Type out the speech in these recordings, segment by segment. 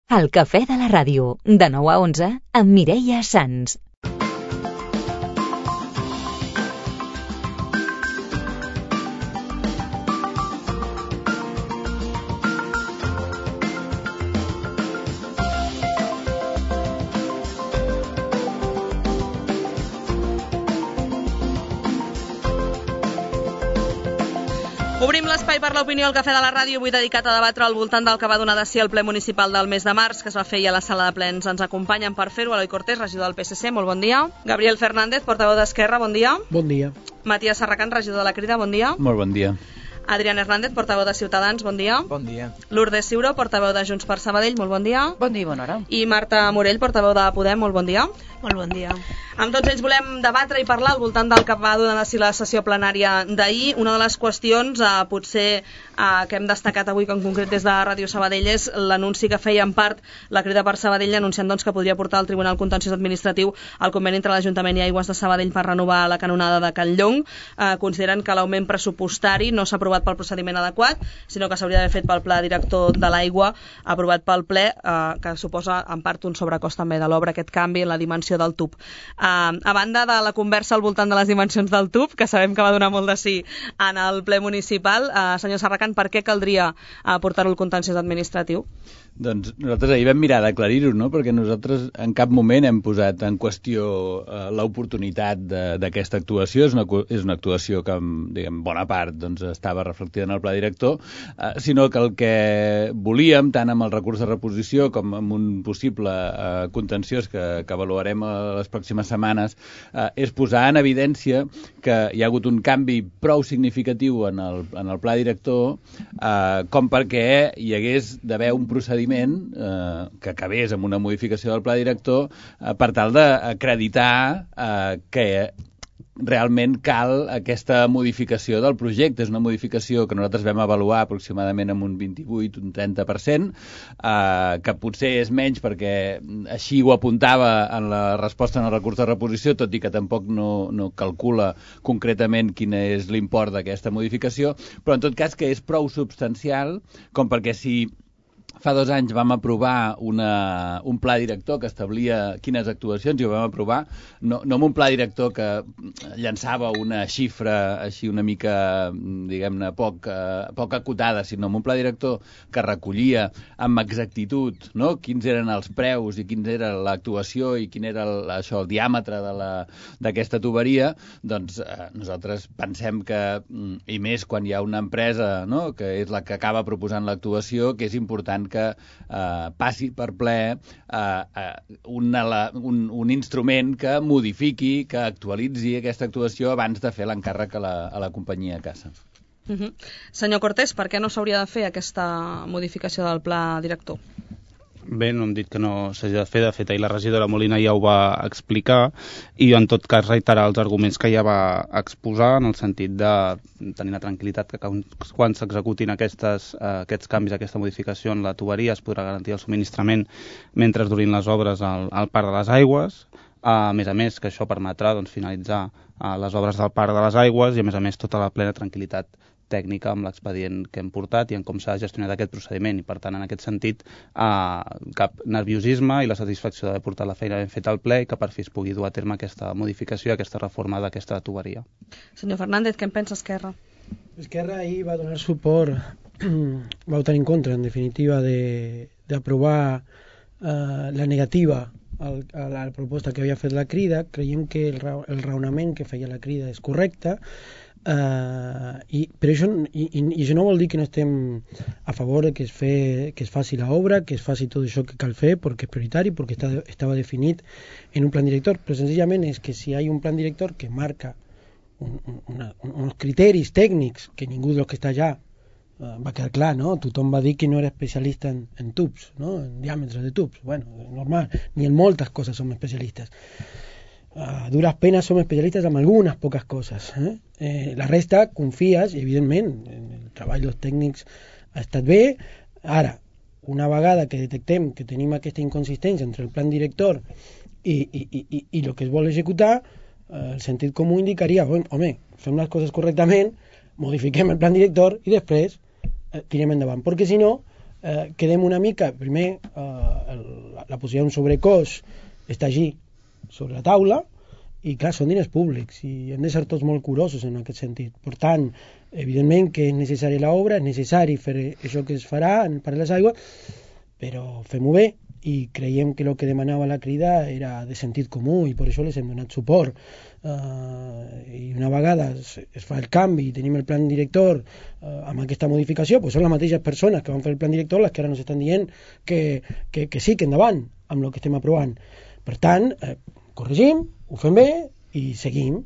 El Cafè de la Ràdio, de 9 a 11, amb Mireia Sans. Obrim l'espai per l'opinió al Cafè de la Ràdio, avui dedicat a debatre al voltant del que va donar de si el ple municipal del mes de març, que es va fer a la sala de plens. Ens acompanyen per fer-ho Eloi Cortés, regidor del PSC, molt bon dia. Gabriel Fernández, portaveu d'Esquerra, bon dia. Bon dia. Matías Sarracan, regidor de la Crida, bon dia. Molt bon dia. Adrián Hernández, portaveu de Ciutadans, bon dia. Bon dia. Lourdes Ciuró, portaveu de Junts per Sabadell, molt bon dia. Bon dia i bona hora. I Marta Morell, portaveu de Podem, molt bon dia. Molt bon dia. Amb tots ells volem debatre i parlar al voltant del que va donar de si la sessió plenària d'ahir. Una de les qüestions, potser que hem destacat avui, que en concret des de Ràdio Sabadell, és l'anunci que feia en part la Crida per Sabadell, anunciant que podria portar al Tribunal Contenciós Administratiu el conveni entre l'Ajuntament i Aigües de Sabadell per renovar la canonada de Can Llong. Consideren que l'augment pressupostari no s'ha aprovat pel procediment adequat, sinó que s'hauria d'haver fet pel pla director de l'aigua, aprovat pel ple, que suposa en part un sobrecost també de l'obra, aquest canvi en la dimensió del tub. A banda de la conversa al voltant de les dimensions del tub, que sabem que va donar molt de sí en el ple municipal, senyor Sarracan, per què caldria portar-ho al contenciós administratiu? Doncs nosaltres ahir vam mirar d'aclarir-ho, no? Perquè nosaltres en cap moment hem posat en qüestió l'oportunitat d'aquesta actuació. És una actuació que, diguem, bona part estava reflectida en el pla director, sinó que el que volíem, tant amb el recurs de reposició com amb un possible contenciós que avaluarem a les pròximes setmanes, és posar en evidència que hi ha hagut un canvi prou significatiu en el pla director com perquè hi hagués d'haver un procediment que acabés amb una modificació del pla director per tal d'acreditar que realment cal aquesta modificació del projecte. És una modificació que nosaltres vam avaluar aproximadament amb un 28, un 30%, que potser és menys perquè així ho apuntava en la resposta en el recurs de reposició, tot i que tampoc no calcula concretament quin és l'import d'aquesta modificació, però en tot cas que és prou substancial com perquè si fa 2 anys vam aprovar un pla director que establia quines actuacions, i ho vam aprovar no amb un pla director que llançava una xifra així una mica, diguem-ne, poc acotada, sinó amb un pla director que recollia amb exactitud, no?, quins eren els preus i quina era l'actuació i quin era el diàmetre d'aquesta tuberia. Doncs nosaltres pensem que, i més quan hi ha una empresa, no?, que és la que acaba proposant l'actuació, que és important que passi per ple un instrument que modifiqui, que actualitzi aquesta actuació abans de fer l'encàrrec a la companyia a casa. Senyor Cortés, per què no s'hauria de fer aquesta modificació del pla director? Bé, no hem dit que no s'hagi de fer. De fet, ahir la regidora Molina ja ho va explicar i en tot cas reiterar els arguments que ja va exposar, en el sentit de tenir la tranquil·litat que quan s'executin aquests canvis, aquesta modificació en la tuberia, es podrà garantir el subministrament mentre durin les obres al Parc de les Aigües. A més, que això permetrà finalitzar les obres del Parc de les Aigües i, a més, tota la plena tranquil·litat tècnica amb l'expedient que hem portat i en com s'ha gestionat aquest procediment, i per tant en aquest sentit cap nerviosisme i la satisfacció d'haver portat la feina ben feta al ple i que per fi es pugui dur a terme aquesta modificació, aquesta reforma d'aquesta tuberia. Senyor Fernández, què en pensa Esquerra? Esquerra ahir va donar suport, va votar en contra en definitiva d'aprovar la negativa a la proposta que havia fet la Crida. Creiem que el raonament que feia la Crida és correcte, però això no vol dir que no estem a favor de que es faci l'obra, que es faci tot això que cal fer perquè és prioritari, perquè estava definit en un plan director, però senzillament és que si hi ha un plan director que marca uns criteris tècnics que ningú dels que està allà va quedar clar, no? Tothom va dir que no era especialista en tubs, no? En diàmetres de tubs. Bueno, normal, ni en moltes coses som especialistes. A duras penes som especialistes en algunes poques coses. La resta confies, i evidentment el treball dels tècnics ha estat bé. Ara, una vegada que detectem que tenim aquesta inconsistència entre el plan director i el que es vol executar, el sentit comú indicaria, home, fem les coses correctament, modifiquem el plan director i després tirem endavant, perquè si no quedem una mica, primer la possibilitat d'un sobrecost està allí, sobre la taula, i clar, són diners públics i hem de ser tots molt curosos en aquest sentit. Per tant, evidentment que és necessari l'obra, és necessari fer això que es farà en el Parc de les Aigües, però fem-ho bé i creiem que el que demanava la Crida era de sentit comú i per això les hem donat suport. I una vegada es fa el canvi i tenim el plan director amb aquesta modificació, doncs són les mateixes persones que van fer el plan director les que ara ens estan dient que sí, que endavant amb el que estem aprovant. Per tant, corregim, ho fem bé i seguim,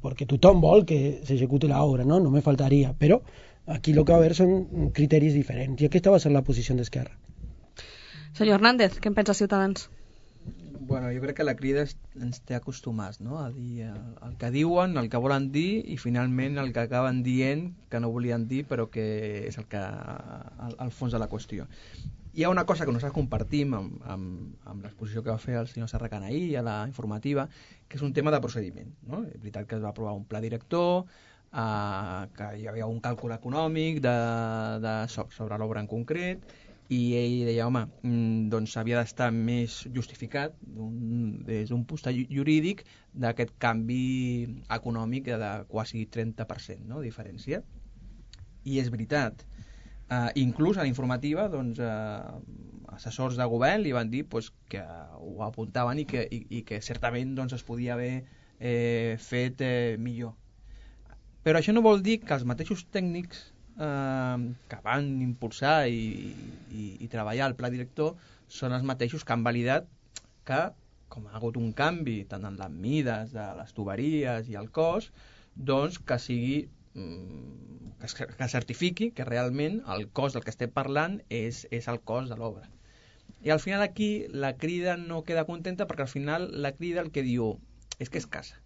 perquè tothom vol que s'executi l'obra, no? Només faltaria, però aquí el que va haver són criteris diferents i aquesta va ser la posició d'Esquerra. Senyor Hernández, què en pensa Ciutadans? Bueno, jo crec que la Crida ens té acostumats, no?, a dir el que diuen, el que volen dir i finalment el que acaben dient que no volien dir però que és el fons de la qüestió. Hi ha una cosa que nosaltres compartim amb l'exposició que va fer el senyor Serracant ahir a la informativa, que és un tema de procediment, no? És veritat que es va aprovar un pla director, que hi havia un càlcul econòmic sobre l'obra en concret, i ell deia, home, doncs havia d'estar més justificat des d'un punt jurídic d'aquest canvi econòmic de quasi 30%, no?, diferència. I és veritat. Inclús a la informativa, doncs, assessors de govern li van dir que ho apuntaven i que certament doncs, es podia haver fet millor. Però això no vol dir que els mateixos tècnics que van impulsar i treballar el pla director són els mateixos que han validat que, com ha hagut un canvi tant en les mides de les tuberies i el cost, doncs que sigui que certifiqui que realment el cost del que estem parlant és el cost de l'obra. I al final aquí la Crida no queda contenta perquè al final la Crida el que diu és que és Casa.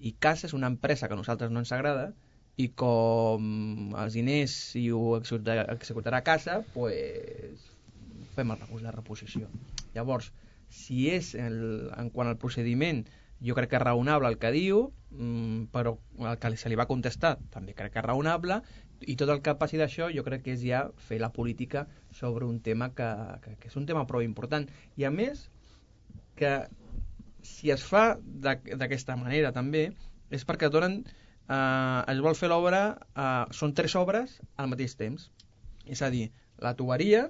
I Casa és una empresa que a nosaltres no ens agrada i com els diners si ho executarà Casa, doncs fem el recurs de reposició. Llavors, si és en quant al procediment, jo crec que és raonable el que diu, però el que se li va contestar també crec que és raonable, i tot el que passi d'això jo crec que és ja fer la política sobre un tema que és un tema prou important. I a més, que si es fa d'aquesta manera també, és perquè donen es vol fer l'obra, són 3 obres al mateix temps, és a dir, la tuberia,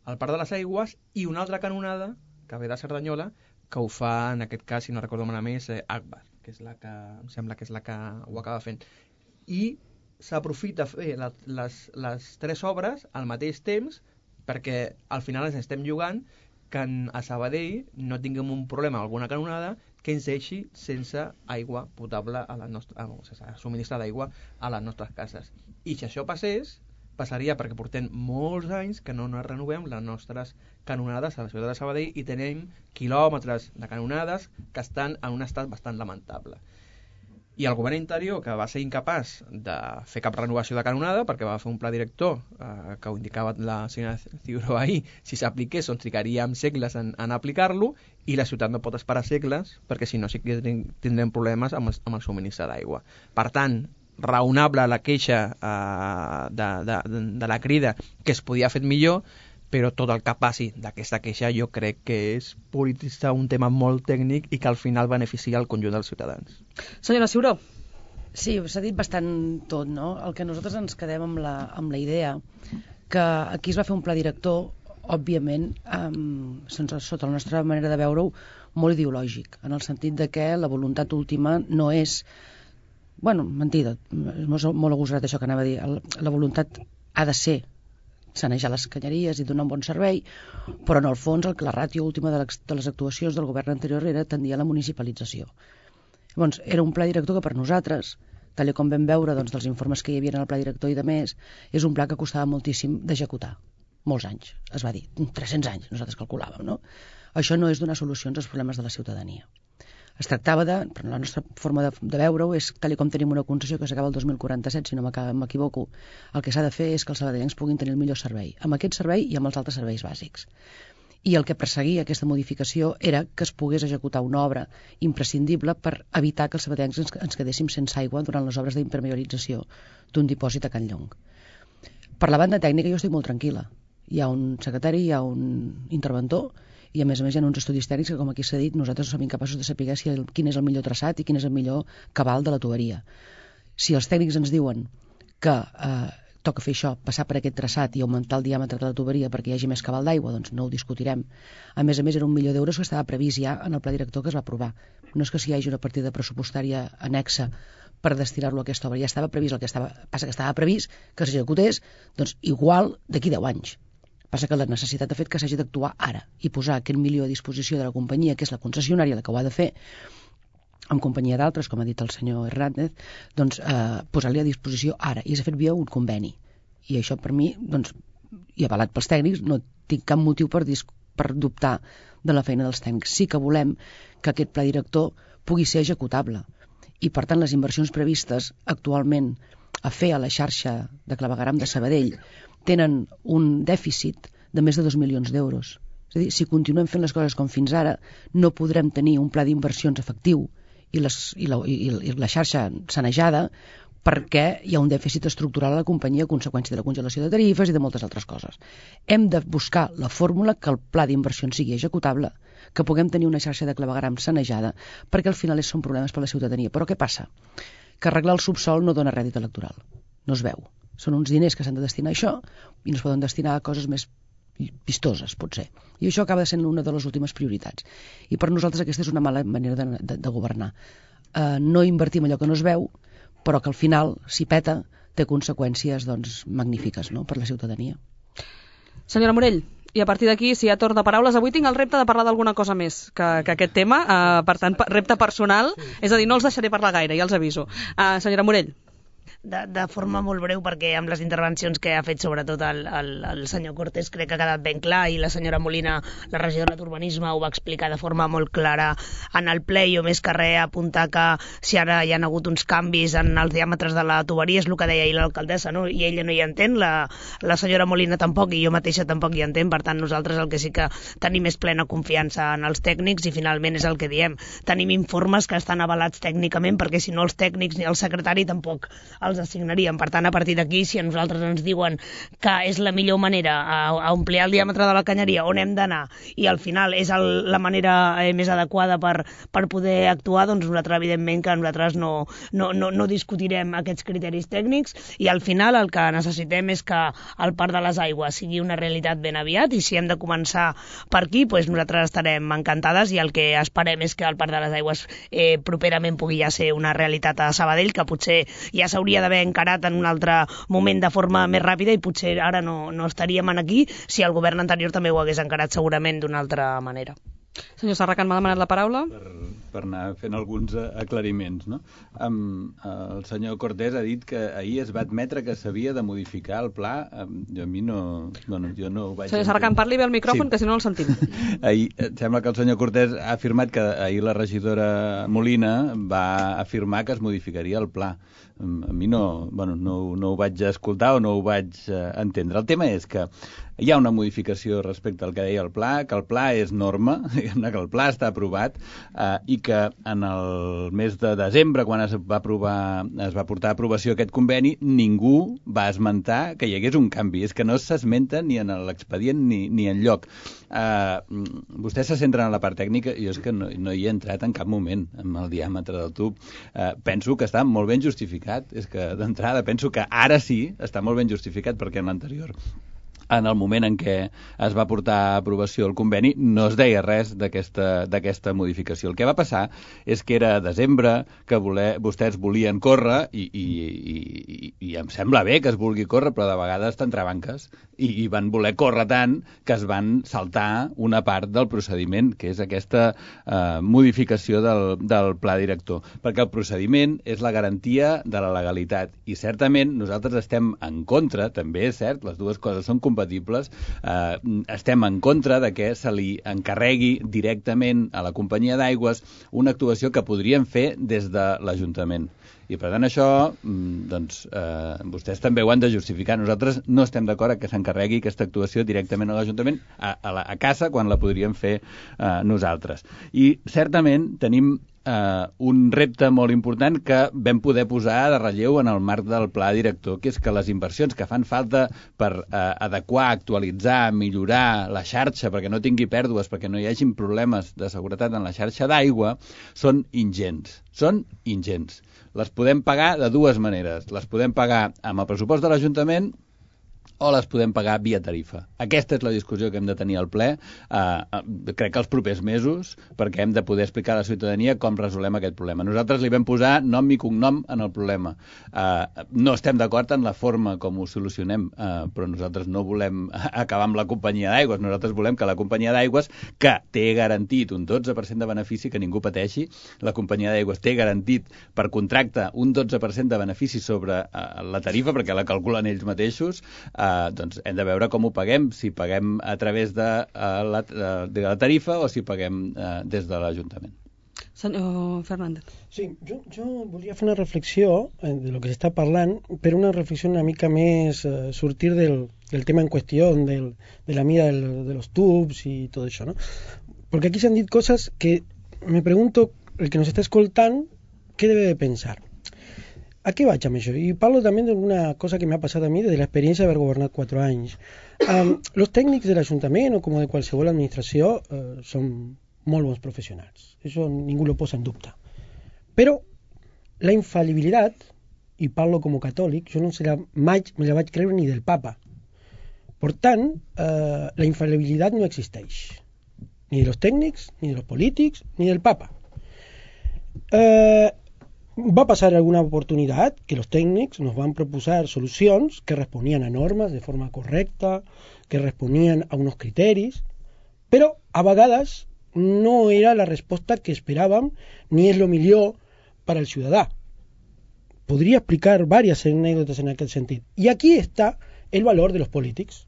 el Parc de les Aigües i una altra canonada que ve de Cerdanyola, que ho fa, en aquest cas, si no recordo malament, és Agbar, que és la que em sembla que és la que ho acaba fent. I s'aprofita fer les 3 obres al mateix temps perquè al final ens estem jugant que a Sabadell no tinguem un problema amb alguna canonada que ens deixi sense aigua potable sense subministrar d'aigua a les nostres cases. I si això passés, passaria perquè portem molts anys que no renovem les nostres canonades a la ciutat de Sabadell i tenim quilòmetres de canonades que estan en un estat bastant lamentable. I el govern interior, que va ser incapaç de fer cap renovació de canonada perquè va fer un pla director que ho indicava la senyora Ciuró ahir, si s'apliqués doncs trigaríem segles en aplicar-lo i la ciutat no pot esperar segles perquè si no sí que tindrem problemes amb el subministre d'aigua. Per tant, raonable la queixa de la Crida que es podia fer millor, però tot el que passi d'aquesta queixa jo crec que és polititzar un tema molt tècnic i que al final beneficia el conjunt dels ciutadans. Senyora Ciuró. Sí, s'ha dit bastant tot, no? El que nosaltres ens quedem amb la idea que aquí es va fer un pla director, òbviament, sota la nostra manera de veure-ho, molt ideològic, en el sentit de que la voluntat última no és... Bueno, mentida, és molt agosarat això que anava a dir. La voluntat ha de ser sanejar les canyeries i donar un bon servei, però en el fons la ràtio última de les actuacions del govern anterior era tendir a la municipalització. Llavors, era un pla director que per nosaltres, tal com vam veure doncs, dels informes que hi havia en el pla director i de més, és un pla que costava moltíssim d'executar. Molts anys, es va dir, 300 anys, nosaltres calculàvem, no? Això no és donar solucions als problemes de la ciutadania. Es tractava però la nostra forma de veure-ho és, tal com tenim una concessió que s'acaba el 2047, si no m'equivoco, el que s'ha de fer és que els sabadellencs puguin tenir el millor servei, amb aquest servei i amb els altres serveis bàsics. I el que perseguia aquesta modificació era que es pogués executar una obra imprescindible per evitar que els sabadellencs ens quedéssim sense aigua durant les obres d'impermeabilització d'un dipòsit a Can Llong. Per la banda tècnica jo estic molt tranquil·la. Hi ha un secretari, hi ha un interventor, I a més hi ha uns estudis tècnics que, com aquí s'ha dit, nosaltres som incapaços de saber quin és el millor traçat i quin és el millor cabal de la tuberia. Si els tècnics ens diuen que toca fer això, passar per aquest traçat i augmentar el diàmetre de la tuberia perquè hi hagi més cabal d'aigua, doncs no ho discutirem. A més, era $1 milió que estava previst ja en el pla director que es va aprovar. No és que hi hagi una partida pressupostària annexa per destinar-lo a aquesta obra. Ja estava previst, passa que estava previst que s'executés, doncs igual d'aquí 10 anys. Passa que la necessitat ha fet que s'hagi d'actuar ara i posar aquest $1 milió a disposició de la companyia, que és la concessionària, la que ho ha de fer, en companyia d'altres, com ha dit el senyor Hernández, doncs posar-li a disposició ara. I s'ha fet via un conveni. I això per mi, doncs, i avalat pels tècnics, no tinc cap motiu per dubtar de la feina dels tècnics. Sí que volem que aquest pla director pugui ser executable. I, per tant, les inversions previstes actualment a fer a la xarxa de clavegueram de Sabadell tenen un dèficit de més de 2 milions d'euros. És a dir, si continuem fent les coses com fins ara, no podrem tenir un pla d'inversions efectiu i la xarxa sanejada perquè hi ha un dèficit estructural a la companyia a conseqüència de la congelació de tarifes i de moltes altres coses. Hem de buscar la fórmula que el pla d'inversions sigui executable, que puguem tenir una xarxa de clavegueram sanejada, perquè al final són problemes per a la ciutadania. Però què passa? Que arreglar el subsol no dona rèdit electoral. No es veu. Són uns diners que s'han de destinar a això i no es poden destinar a coses més vistoses, potser. I això acaba sent una de les últimes prioritats. I per nosaltres aquesta és una mala manera de governar. No invertim allò que no es veu, però que al final, si peta, té conseqüències magnífiques, no?, per la ciutadania. Senyora Morell, i a partir d'aquí, si hi ha torn de paraules, avui tinc el repte de parlar d'alguna cosa més que aquest tema, per tant, repte personal, és a dir, no els deixaré parlar gaire, ja els aviso. Senyora Morell. De forma molt breu, perquè amb les intervencions que ha fet sobretot el senyor Cortés crec que ha quedat ben clar, i la senyora Molina, la regidora d'Urbanisme, ho va explicar de forma molt clara en el ple. Jo més que res apuntar que si ara hi ha hagut uns canvis en els diàmetres de la tuberia, és el que deia ahir l'alcaldessa, no? I ella no hi entén, la senyora Molina tampoc, i jo mateixa tampoc hi entén. Per tant, nosaltres el que sí que tenim és plena confiança en els tècnics, i finalment és el que diem, tenim informes que estan avalats tècnicament, perquè si no els tècnics ni el secretari tampoc els assignaríem. Per tant, a partir d'aquí, si a nosaltres ens diuen que és la millor manera a ampliar el diàmetre de la canyeria, on hem d'anar, i al final és la manera més adequada per poder actuar, doncs nosaltres, evidentment, que nosaltres no discutirem aquests criteris tècnics, i al final el que necessitem és que el Parc de les Aigües sigui una realitat ben aviat, i si hem de començar per aquí, doncs nosaltres estarem encantades, i el que esperem és que el Parc de les Aigües properament pugui ja ser una realitat a Sabadell, que potser ja s'hauria d'haver encarat en un altre moment de forma més ràpida, i potser ara no estaríem aquí si el govern anterior també ho hagués encarat segurament d'una altra manera. Senyor Serracant, m'ha demanat la paraula? Per anar fent alguns aclariments, no? El senyor Cortés ha dit que ahir es va admetre que s'havia de modificar el pla. A mi no... Bueno, jo no ho vaig... Senyor Serracant, parli bé al micròfon, sí, que si no el sentim. Ahir, sembla que el senyor Cortés ha afirmat que ahir la regidora Molina va afirmar que es modificaria el pla. A mi no ho vaig escoltar o no ho vaig entendre. El tema és que hi ha una modificació respecte al que deia el pla, que el pla és norma, que el pla està aprovat, i que en el mes de desembre, quan es va portar a aprovació aquest conveni, ningú va esmentar que hi hagués un canvi. És que no s'esmenta ni en l'expedient ni en lloc. Vostès se centren en la part tècnica, i jo és que no hi he entrat en cap moment amb el diàmetre del tub. Penso que està molt ben justificat. És que d'entrada penso que ara sí està molt ben justificat, perquè en l'anterior, en el moment en què es va portar a aprovació el conveni, no es deia res d'aquesta modificació. El que va passar és que era desembre, que vostès volien córrer, i em sembla bé que es vulgui córrer, però de vegades t'entrebanques, i van voler córrer tant que es van saltar una part del procediment, que és aquesta modificació del pla director. Perquè el procediment és la garantia de la legalitat, i certament nosaltres estem en contra, també és cert, les dues coses són compatibles, estem en contra de que se li encarregui directament a la companyia d'aigües una actuació que podrien fer des de l'Ajuntament. I per tant això, doncs, vostès també ho han de justificar. Nosaltres no estem d'acord que s'encarregui aquesta actuació directament a l'Ajuntament, a casa, quan la podríem fer nosaltres. I certament tenim un repte molt important que vam poder posar de relleu en el marc del pla director, que és que les inversions que fan falta per adequar, actualitzar, millorar la xarxa perquè no tingui pèrdues, perquè no hi hagin problemes de seguretat en la xarxa d'aigua, són ingents. Són ingents. Les podem pagar de dues maneres. Les podem pagar amb el pressupost de l'Ajuntament o les podem pagar via tarifa. Aquesta és la discussió que hem de tenir al ple, crec que els propers mesos, perquè hem de poder explicar a la ciutadania com resolem aquest problema. Nosaltres li vam posar nom i cognom en el problema. No estem d'acord en la forma com ho solucionem, però nosaltres no volem acabar amb la companyia d'aigües. Nosaltres volem que la companyia d'aigües, que té garantit un 12% de benefici, que ningú pateixi, la companyia d'aigües té garantit per contracte un 12% de benefici sobre la tarifa, perquè la calculen ells mateixos, doncs hem de veure com ho paguem, si paguem a través de la tarifa o si paguem des de l'Ajuntament. Senyor Fernández. Sí, jo volia fer una reflexió de lo que s'està parlant, però una reflexió una mica més sortir del tema en qüestió, de la mida de los tubs y todo eso, ¿no? Porque aquí se han dit cosas que me pregunto, el que nos está escoltant, ¿qué debe de pensar? ¿A qué vaig amb això? Y parlo también de una cosa que me ha pasado a mí desde la experiencia de haber gobernat 4 anys. Los tècnics de l'Ajuntament o com de qualsevol administració són molt bons professionals. Eso ningú lo posa en dubte. Però la infalibilitat, i parlo com a catòlic, jo no mai me la vaig creure ni del papa. Per tant, la infalibilitat no existeix. Ni de los tècnics, ni de los polítics, ni del papa. Va a pasar alguna oportunidad que los técnicos nos van a proposar solucions que responían a normes de forma correcta, que responían a unos criteris, però a vegades no era la resposta que esperàvem ni és lo millor per al ciutadà. Podria explicar varias anécdotas en aquest sentit. I aquí està el valor de los polítics.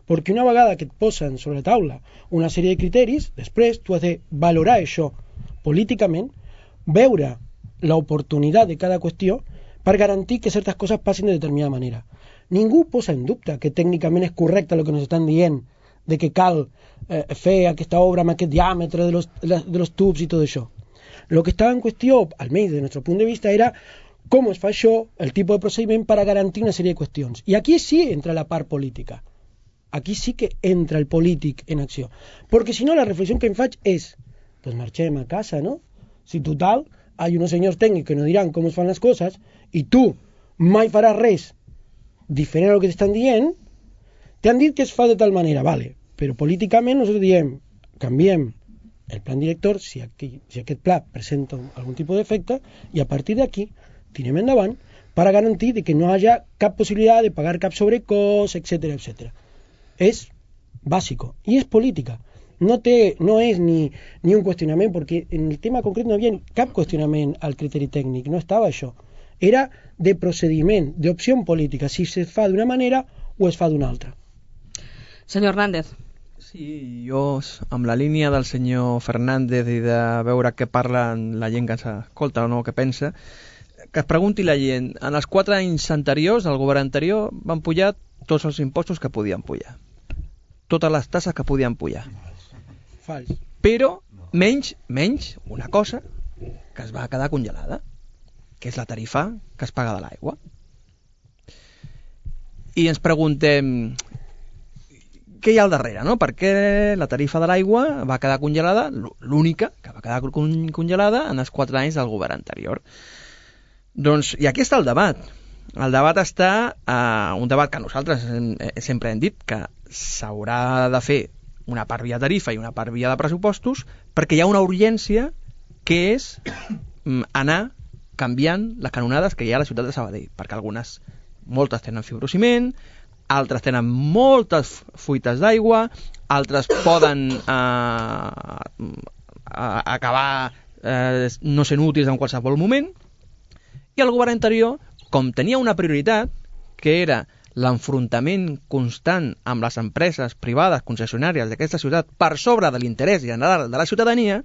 Perquè una vegada que et posen sobre la taula una sèrie de criteris, després tu has de valorar això políticament, veure l'oportunitat de cada qüestió per garantir que certes coses passin de determinada manera. Ningú posa en dubte que tècnicament és correcte el que ens estan dient de que cal fer aquesta obra amb aquest diàmetre de los tubs i tot això. Lo que estava en qüestió, almenys des del nostre punt de vista, era com es fa això, el tipus de procediment per a garantir una sèrie de qüestions. I aquí sí entra la part política. Aquí sí que entra el polític en acció. Perquè si no, la reflexió que em faig és pues marxem a casa, ¿no? Si total hay unos señores técnicos que nos dirán cómo se fan las cosas y tú mai faràs res diferent a lo que t'estan dient, t'han dit que es fa de tal manera, vale, però políticament nosaltres diem, canviem el plan director si aquest pla presenta algun tipus d'efecte i a partir d'aquí tirem endavant per a garantir de que no hi hagi cap possibilitat de pagar cap sobrecost, etc. etc. És bàsico i és política. No és ni un qüestionament, perquè en el tema concret no hi havia cap qüestionament al criteri tècnic, no estava això. Era de procediment, d'opció política, si se fa d'una manera o es fa d'una altra. Senyor Hernández. Sí, jo, amb la línia del senyor Fernández i de veure què parla la gent que s'escolta o no, què pensa, que es pregunti la gent, en els 4 anys anteriors, el govern anterior, van pujar tots els impostos que podien pujar. Totes les tasses que podien pujar. Fals. Però menys una cosa que es va quedar congelada, que és la tarifa que es paga de l'aigua. I ens preguntem què hi ha al darrere, no? Per què la tarifa de l'aigua va quedar congelada, l'única que va quedar congelada en els 4 anys del govern anterior. Doncs, i aquí està el debat. El debat està un debat que nosaltres sempre hem dit que s'haurà de fer una part via tarifa i una part via de pressupostos, perquè hi ha una urgència que és anar canviant les canonades que hi ha a la ciutat de Sabadell, perquè moltes tenen fibrociment, altres tenen moltes fuites d'aigua, altres poden acabar no sent útils en qualsevol moment, i el govern anterior, com tenia una prioritat, que era l'enfrontament constant amb les empreses privades concessionàries d'aquesta ciutat per sobre de l'interès general de la ciutadania,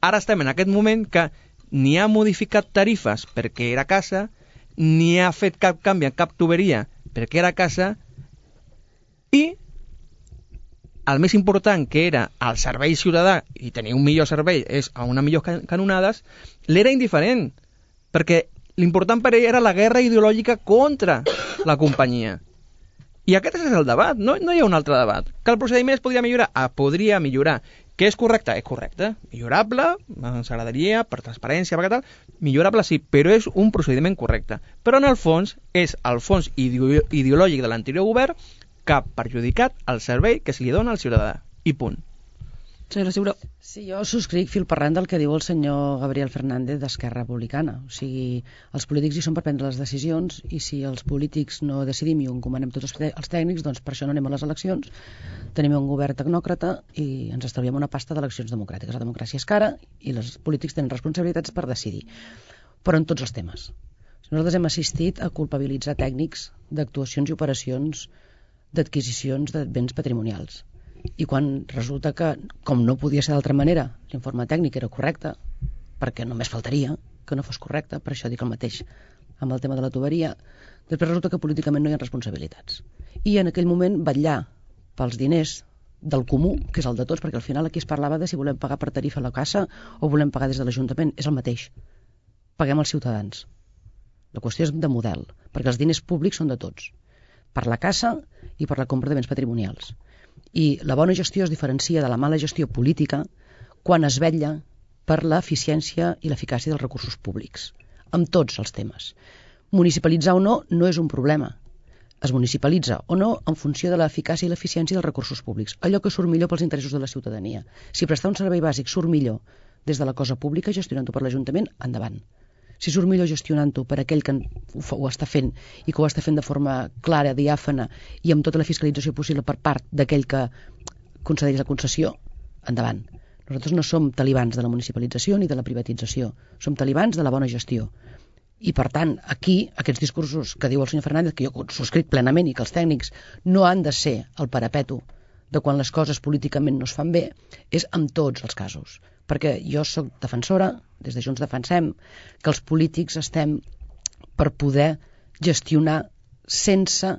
ara estem en aquest moment que ni ha modificat tarifes perquè era casa, ni ha fet cap canvi en cap tuberia perquè era casa, i el més important, que era el servei ciutadà i tenir un millor servei és a una millor canonades, l'era indiferent, perquè l'important per ell era la guerra ideològica contra la companyia. I aquest és el debat, no hi ha un altre debat. Que el procediment es podria millorar? Podria millorar. Que és correcte? És correcte. Millorable, ens agradaria, per transparència, per tal, millorable sí, però és un procediment correcte. Però en el fons és el fons ideològic de l'anterior govern que ha perjudicat el servei que se li dona al ciutadà. I punt. Senyora Ciuró. Sí, jo subscric fil per randa del que diu el senyor Gabriel Fernández d'Esquerra Republicana. O sigui, els polítics hi són per prendre les decisions i si els polítics no decidim i encomanem tots els tècnics, doncs per això no anem a les eleccions. Tenim un govern tecnòcrata i ens estalviem una pasta d'eleccions democràtiques. La democràcia és cara i els polítics tenen responsabilitats per decidir. Però en tots els temes. Nosaltres hem assistit a culpabilitzar tècnics d'actuacions i operacions d'adquisicions de béns patrimonials. I quan resulta que, com no podia ser d'altra manera, l'informe tècnic era correcte, perquè només faltaria que no fos correcte, per això dic el mateix amb el tema de la tuberia, després resulta que políticament no hi ha responsabilitats. I en aquell moment vetllar pels diners del comú, que és el de tots, perquè al final aquí es parlava de si volem pagar per tarifa a la casa o volem pagar des de l'Ajuntament, és el mateix. Paguem als ciutadans. La qüestió és de model, perquè els diners públics són de tots, per la casa i per la compra de béns patrimonials. I la bona gestió es diferencia de la mala gestió política quan es vetlla per l'eficiència i l'eficàcia dels recursos públics, amb tots els temes. Municipalitzar o no és un problema. Es municipalitza o no en funció de l'eficàcia i l'eficiència dels recursos públics, allò que surt millor pels interessos de la ciutadania. Si prestar un servei bàsic surt millor des de la cosa pública, gestionant-ho per l'Ajuntament, endavant. Si surt millor gestionant-ho per aquell que ho està fent i que ho està fent de forma clara, diàfana i amb tota la fiscalització possible per part d'aquell que concedeix la concessió, endavant. Nosaltres no som talibans de la municipalització ni de la privatització, som talibans de la bona gestió. I per tant, aquí, aquests discursos que diu el senyor Fernández, que jo subscric plenament i que els tècnics no han de ser el parapeto de quan les coses políticament no es fan bé, és en tots els casos. Perquè jo sóc defensora, des de Junts defensem, que els polítics estem per poder gestionar sense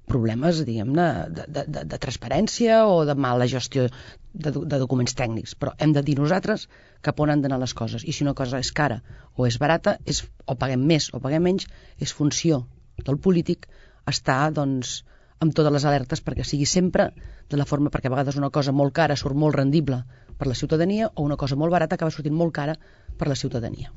problemes, diguem-ne, de transparència o de mala gestió de documents tècnics. Però hem de dir nosaltres cap on han d'anar les coses. I si una cosa és cara o és barata, o paguem més o paguem menys, és funció del polític estar, doncs, amb totes les alertes perquè sigui sempre de la forma, perquè a vegades una cosa molt cara surt molt rendible per la ciutadania o una cosa molt barata acaba sortint molt cara per la ciutadania.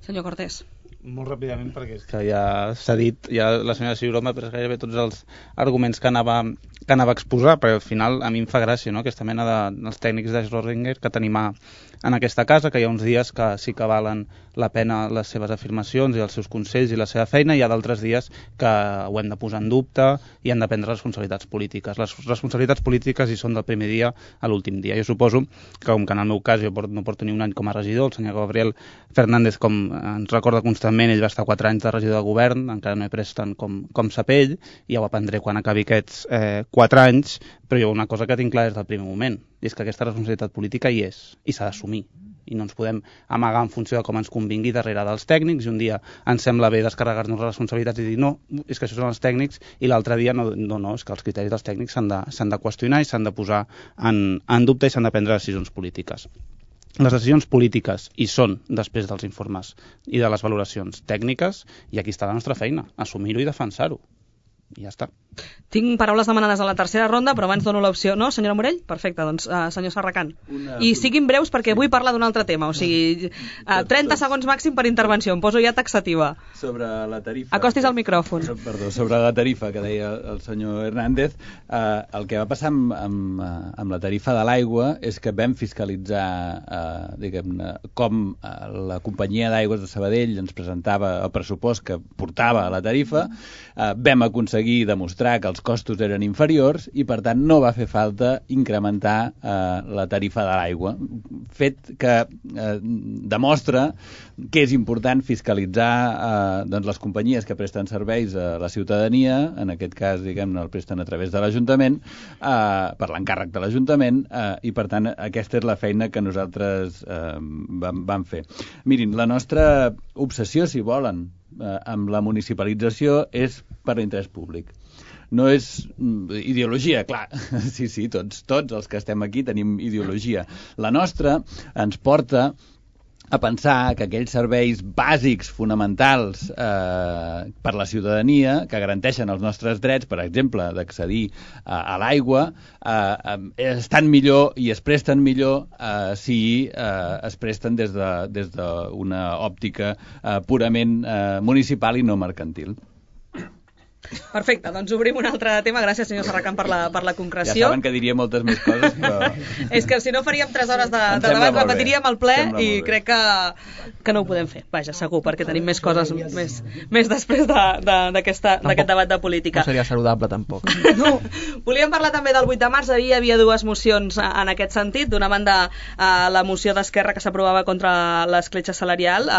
Senyor Cortés. Molt ràpidament, perquè és que ja s'ha dit, ja la senyora Ciuró m'ha pres gairebé tots els arguments que anava a exposar, però al final a mi em fa gràcia, no?, aquesta mena dels tècnics de Schrödinger que tenim en aquesta casa, que hi ha uns dies que sí que valen la pena les seves afirmacions i els seus consells i la seva feina, i hi ha d'altres dies que ho hem de posar en dubte i han de prendre responsabilitats polítiques. Les responsabilitats polítiques hi són del primer dia a l'últim dia. Jo suposo que, com que en el meu cas jo no porto ni un any com a regidor, el senyor Gabriel Fernández, com ens recorda constantment, ell va estar 4 anys de regidor de govern, encara no he pres tant com sap ell, i ja ho aprendré quan acabi aquests 4 anys, però jo una cosa que tinc clar des del primer moment, i és que aquesta responsabilitat política hi és, i s'ha d'assumir. I no ens podem amagar en funció de com ens convingui darrere dels tècnics, i un dia ens sembla bé descarregar-nos les responsabilitats i dir no, és que això són els tècnics, i l'altre dia no, és que els criteris dels tècnics s'han de qüestionar i s'han de posar en dubte i s'han de prendre decisions polítiques. Les decisions polítiques hi són després dels informes i de les valoracions tècniques, i aquí està la nostra feina, assumir-ho i defensar-ho. I ja està. Tinc paraules demanades a la tercera ronda, però abans dono l'opció. No, senyora Morell? Perfecte, doncs senyor Serracant. I siguin breus perquè vull parlar d'un altre tema, o sigui, 30 segons màxim per intervenció, em poso ja taxativa. Sobre la tarifa... Acostis al micròfon. Perdó, sobre la tarifa que deia el senyor Hernández, el que va passar amb la tarifa de l'aigua és que vam fiscalitzar, diguem-ne, com la companyia d'aigües de Sabadell ens presentava el pressupost que portava a la tarifa, vam aconseguir demostrar que els costos eren inferiors i, per tant, no va fer falta incrementar la tarifa de l'aigua. Fet que demostra que és important fiscalitzar doncs, les companyies que presten serveis a la ciutadania, en aquest cas, diguem-ne, el presten a través de l'Ajuntament, per l'encàrrec de l'Ajuntament, i, per tant, aquesta és la feina que nosaltres vam fer. Mirin, la nostra obsessió, si volen, amb la municipalització és per l'interès públic. no és ideologia, clar, sí, tots els que estem aquí tenim ideologia. La nostra ens porta a pensar que aquells serveis bàsics, fonamentals per la ciutadania, que garanteixen els nostres drets, per exemple, d'accedir a l'aigua, estan millor i es presten millor si es presten des d'una òptica purament municipal i no mercantil. Perfecte, doncs obrim un altre tema. Gràcies, senyor Serracant, per la concreció. Ja saben que diria moltes més coses, però... És que si no faríem 3 hores de debat, repetiríem el ple i crec que no ho podem fer. Vaja, segur, perquè tenim més coses més després d'aquest debat de política. No seria saludable, tampoc. No. Volíem parlar també del 8 de març. Hi havia 2 mocions en aquest sentit. D'una banda, la moció d'Esquerra que s'aprovava contra l'escletxa salarial,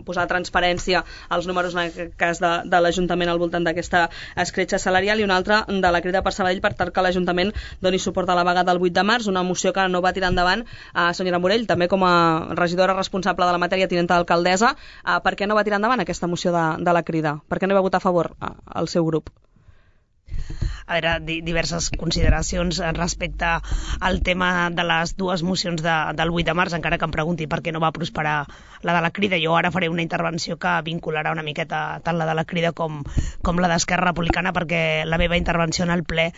posar transparència als números, en aquest cas, de l'Ajuntament al voltant d'aquesta escletxa salarial, i una altra de la Crida per Sabadell per tal que l'Ajuntament doni suport a la vaga del 8 de març, una moció que no va tirar endavant. Senyora Morell, també com a regidora responsable de la matèria, tinenta d'alcaldessa, per què no va tirar endavant aquesta moció de la Crida? Per què no hi va votar a favor el seu grup? A veure, diverses consideracions respecte al tema de les 2 mocions del 8 de març, encara que em pregunti per què no va prosperar la de la Crida. Jo ara faré una intervenció que vincularà una miqueta tant la de la Crida com la d'Esquerra Republicana, perquè la meva intervenció en el ple,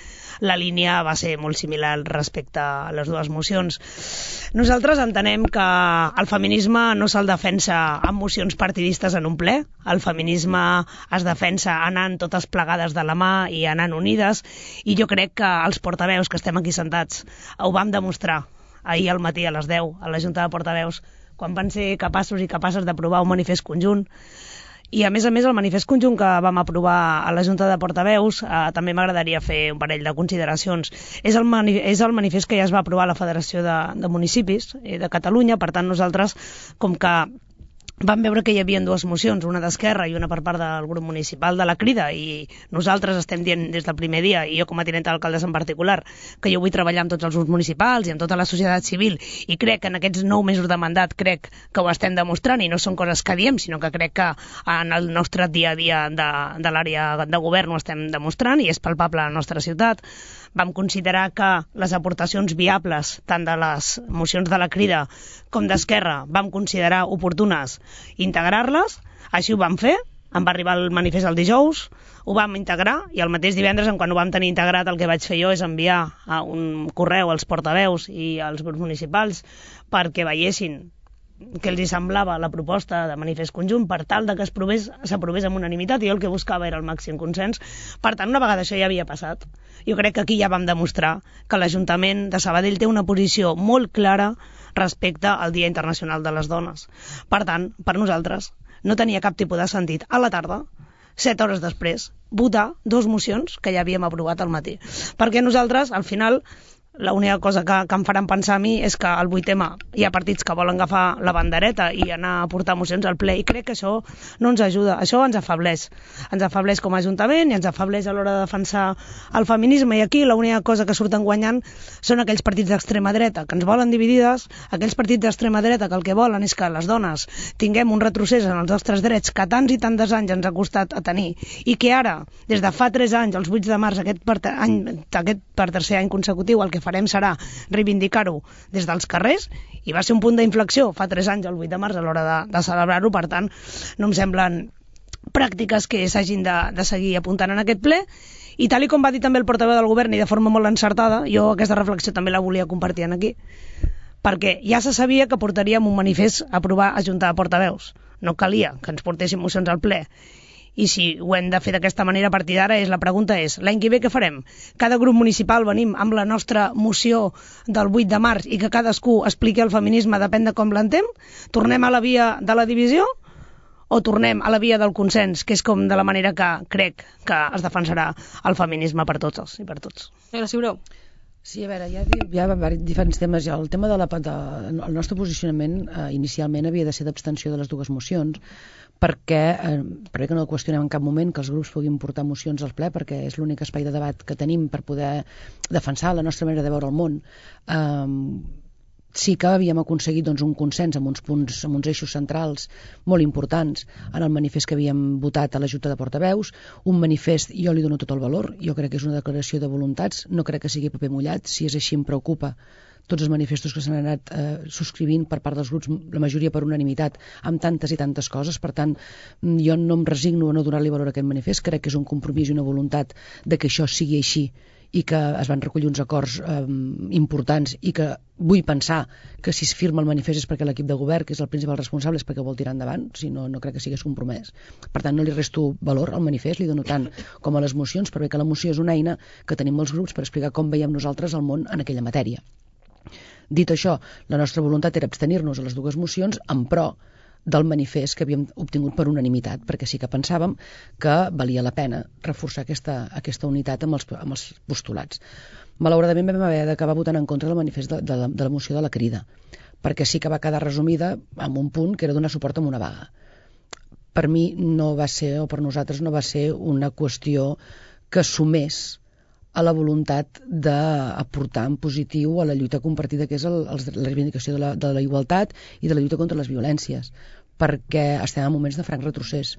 la línia va ser molt similar respecte a les 2 mocions. Nosaltres entenem que el feminisme no se'l defensa amb mocions partidistes en un ple. El feminisme es defensa anant totes plegades de la mà i anant unides, i jo crec que els portaveus que estem aquí sentats ho vam demostrar ahir al matí a les 10 a la Junta de Portaveus, quan van ser capaços i capaces d'aprovar un manifest conjunt. I a més el manifest conjunt que vam aprovar a la Junta de Portaveus, també m'agradaria fer un parell de consideracions. És el manifest que ja es va aprovar a la Federació de Municipis de Catalunya. Per tant, nosaltres, com que vam veure que hi havia 2 mocions, una d'Esquerra i una per part del grup municipal de la Crida, i nosaltres estem dient des del primer dia, i jo com a tinenta d'alcaldessa en particular, que jo vull treballar amb tots els grups municipals i amb tota la societat civil, i crec que en aquests 9 mesos de mandat crec que ho estem demostrant, i no són coses que diem, sinó que crec que en el nostre dia a dia de l'àrea de govern ho estem demostrant i és palpable a la nostra ciutat. Vam considerar que les aportacions viables, tant de les mocions de la Crida com d'Esquerra, vam considerar oportunes integrar-les. Així ho vam fer. Em va arribar el manifest el dijous, ho vam integrar, i el mateix divendres, quan ho vam tenir integrat, el que vaig fer jo és enviar un correu als portaveus i als grups municipals perquè veiessin què els hi semblava la proposta de manifest conjunt, per tal de que s'aprovés amb unanimitat, i jo el que buscava era el màxim consens. Per tant, una vegada això ja havia passat, jo crec que aquí ja vam demostrar que l'Ajuntament de Sabadell té una posició molt clara respecte al Dia Internacional de les Dones. Per tant, per nosaltres no tenia cap tipus de sentit a la tarda, 7 hores després, votar 2 mocions que ja havíem aprovat al matí. Perquè nosaltres, al final, l'única cosa que em faran pensar a mi és que al 8M hi ha partits que volen agafar la bandereta i anar a portar mocions al ple, i crec que això no ens ajuda, això ens afebleix com a Ajuntament i ens afebleix a l'hora de defensar el feminisme. I aquí l'única cosa que surten guanyant són aquells partits d'extrema dreta que ens volen dividides, aquells partits d'extrema dreta que el que volen és que les dones tinguem un retrocés en els nostres drets que tants i tants anys ens ha costat a tenir, i que ara, des de fa 3 anys, els 8 de març, aquest per tercer any consecutiu, el que farem serà reivindicar-ho des dels carrers, i va ser un punt d'inflexió fa 3 anys, el 8 de març, a l'hora de celebrar-ho. Per tant, no em semblen pràctiques que s'hagin de seguir apuntant en aquest ple, i tal com va dir també el portaveu del govern, i de forma molt encertada, jo aquesta reflexió també la volia compartir aquí, perquè ja se sabia que portaríem un manifest a aprovar a Junta de Portaveus, no calia que ens portéssim mocions al ple. I si ho hem de fer d'aquesta manera a partir d'ara, la pregunta és, l'any que ve què farem? Cada grup municipal venim amb la nostra moció del 8 de març i que cadascú expliqui el feminisme, depèn de com l'entén? Tornem a la via de la divisió o tornem a la via del consens, que és com de la manera que crec que es defensarà el feminisme per totes i per tots? Sí, a veure, hi ha diferents temes. El tema el nostre posicionament inicialment havia de ser d'abstenció de les 2 mocions, perquè no el qüestionem en cap moment que els grups puguin portar mocions al ple, perquè és l'únic espai de debat que tenim per poder defensar la nostra manera de veure el món. sí que havíem aconseguit doncs, un consens amb uns punts, amb uns eixos centrals molt importants en el manifest que havíem votat a la Junta de Portaveus. Un manifest, jo li dono tot el valor, jo crec que és una declaració de voluntats, no crec que sigui paper mullat. Si és així, em preocupa tots els manifestos que s'han anat subscrivint per part dels grups, la majoria per unanimitat, amb tantes i tantes coses. Per tant, jo no em resigno a no donar-li valor a aquest manifest. Crec que és un compromís i una voluntat de que això sigui així i que es van recollir uns acords importants, i que vull pensar que si es firma el manifest és perquè l'equip de govern, que és el principal responsable, és perquè vol tirar endavant, si no, no crec que sigués compromès. Per tant, no li resto valor al manifest, li dono tant com a les mocions, perquè la moció és una eina que tenim molts grups per explicar com veiem nosaltres el món en aquella matèria. Dit això, la nostra voluntat era abstenir-nos a les dues mocions en pro del manifest que havíem obtingut per unanimitat, perquè sí que pensàvem que valia la pena reforçar aquesta unitat amb els postulats. Malauradament vam haver d'acabar votant en contra del manifest de la moció de la Crida, perquè sí que va quedar resumida en un punt que era donar suport a una vaga. Per mi no va ser, o per nosaltres no va ser una qüestió que sumés a la voluntat d'aportar en positiu a la lluita compartida, que és la reivindicació de la igualtat i de la lluita contra les violències, perquè estem en moments de franc retrocés.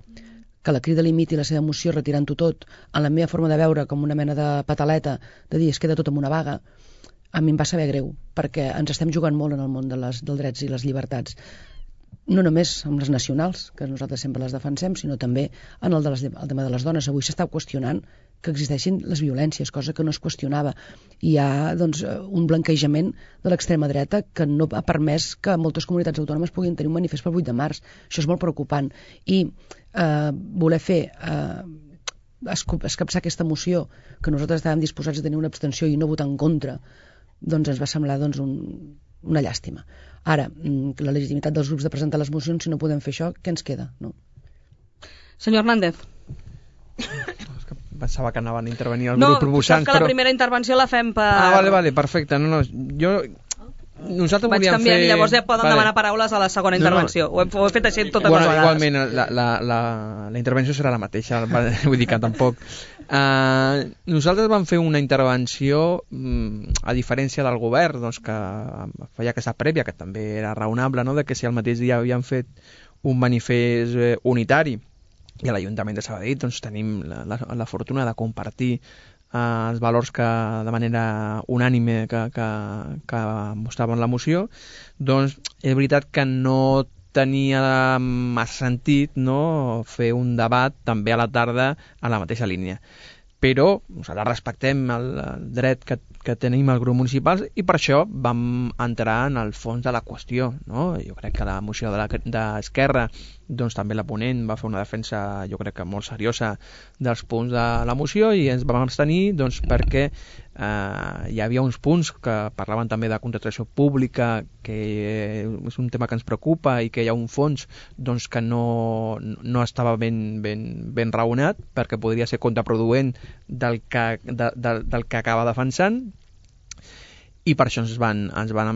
Que la Crida limiti la seva moció retirant-ho tot, en la meva forma de veure com una mena de pataleta, de dir es queda tot amb una vaga, a mi em va saber greu, perquè ens estem jugant molt en el món dels drets i les llibertats. No només amb les nacionals, que nosaltres sempre les defensem, sinó també en el tema de les dones. Avui s'està qüestionant que existeixin les violències, cosa que no es qüestionava. Hi ha doncs, un blanquejament de l'extrema dreta que no ha permès que moltes comunitats autònomes puguin tenir un manifest pel 8 de març. Això és molt preocupant. I voler fer escapçar aquesta moció, que nosaltres estàvem disposats a tenir una abstenció i no votar en contra, doncs ens va semblar una llàstima. Ara, la legitimitat dels grups de presentar les mocions, si no podem fer això, què ens queda? No? Senyor Hernández. Pensava que anaven a intervenir el grup proposant. No, que la primera intervenció la fem per... Vale, perfecte. Nosaltres vaig canviar i llavors ja poden demanar paraules a la segona intervenció. Ho he fet així totes les vegades. Igualment, la intervenció serà la mateixa, vull dir que tampoc. Nosaltres vam fer una intervenció, a diferència del govern, doncs, que feia aquesta prèvia, que també era raonable, no?, de que si el mateix dia havien fet un manifest unitari, i a l'Ajuntament de Sabadell doncs, tenim la fortuna de compartir els valors que de manera unànime que mostraven la moció, doncs és veritat que no tenia massa sentit, no?, fer un debat també a la tarda a la mateixa línia. Però nosaltres respectem el dret que tenim el grup municipal i per això vam entrar en el fons de la qüestió, no? Jo crec que la moció d'Esquerra, doncs també la ponent va fer una defensa, jo crec que molt seriosa, dels punts de la moció, i ens vam abstenir doncs, perquè hi havia uns punts que parlaven també de contractació pública, que és un tema que ens preocupa i que hi ha un fons doncs, que no estava ben raonat, perquè podria ser contraproduent del que acaba defensant, i per això ens van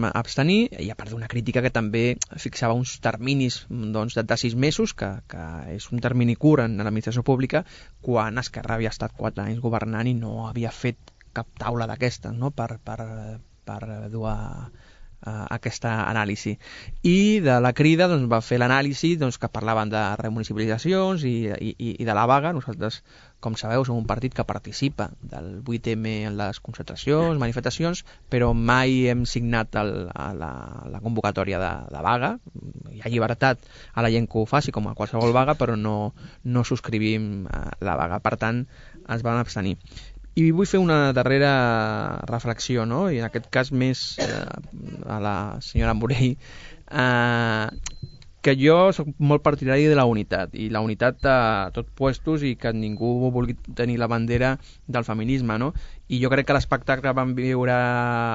abstenir, i a part d'una crítica que també fixava uns terminis doncs, de 6 mesos, que és un termini curt en l'administració pública, quan Esquerra havia estat 4 anys governant i no havia fet cap taula d'aquestes, no?, per dur aquesta anàlisi. I de la Crida doncs, va fer l'anàlisi doncs, que parlaven de remunicipalitzacions i de la vaga. Nosaltres, com sabeu, som un partit que participa del 8M en les concentracions, manifestacions, però mai hem signat la convocatòria de vaga. Hi ha llibertat a la gent que ho faci, com a qualsevol vaga, però no subscrivim la vaga. Per tant, ens van abstenir. I vull fer una darrera reflexió, no?, i en aquest cas més a la senyora Morell, que jo soc molt partidari de la unitat, i la unitat a tots puestos, i que ningú vulgui tenir la bandera del feminisme, no? I jo crec que l'espectacle que vam viure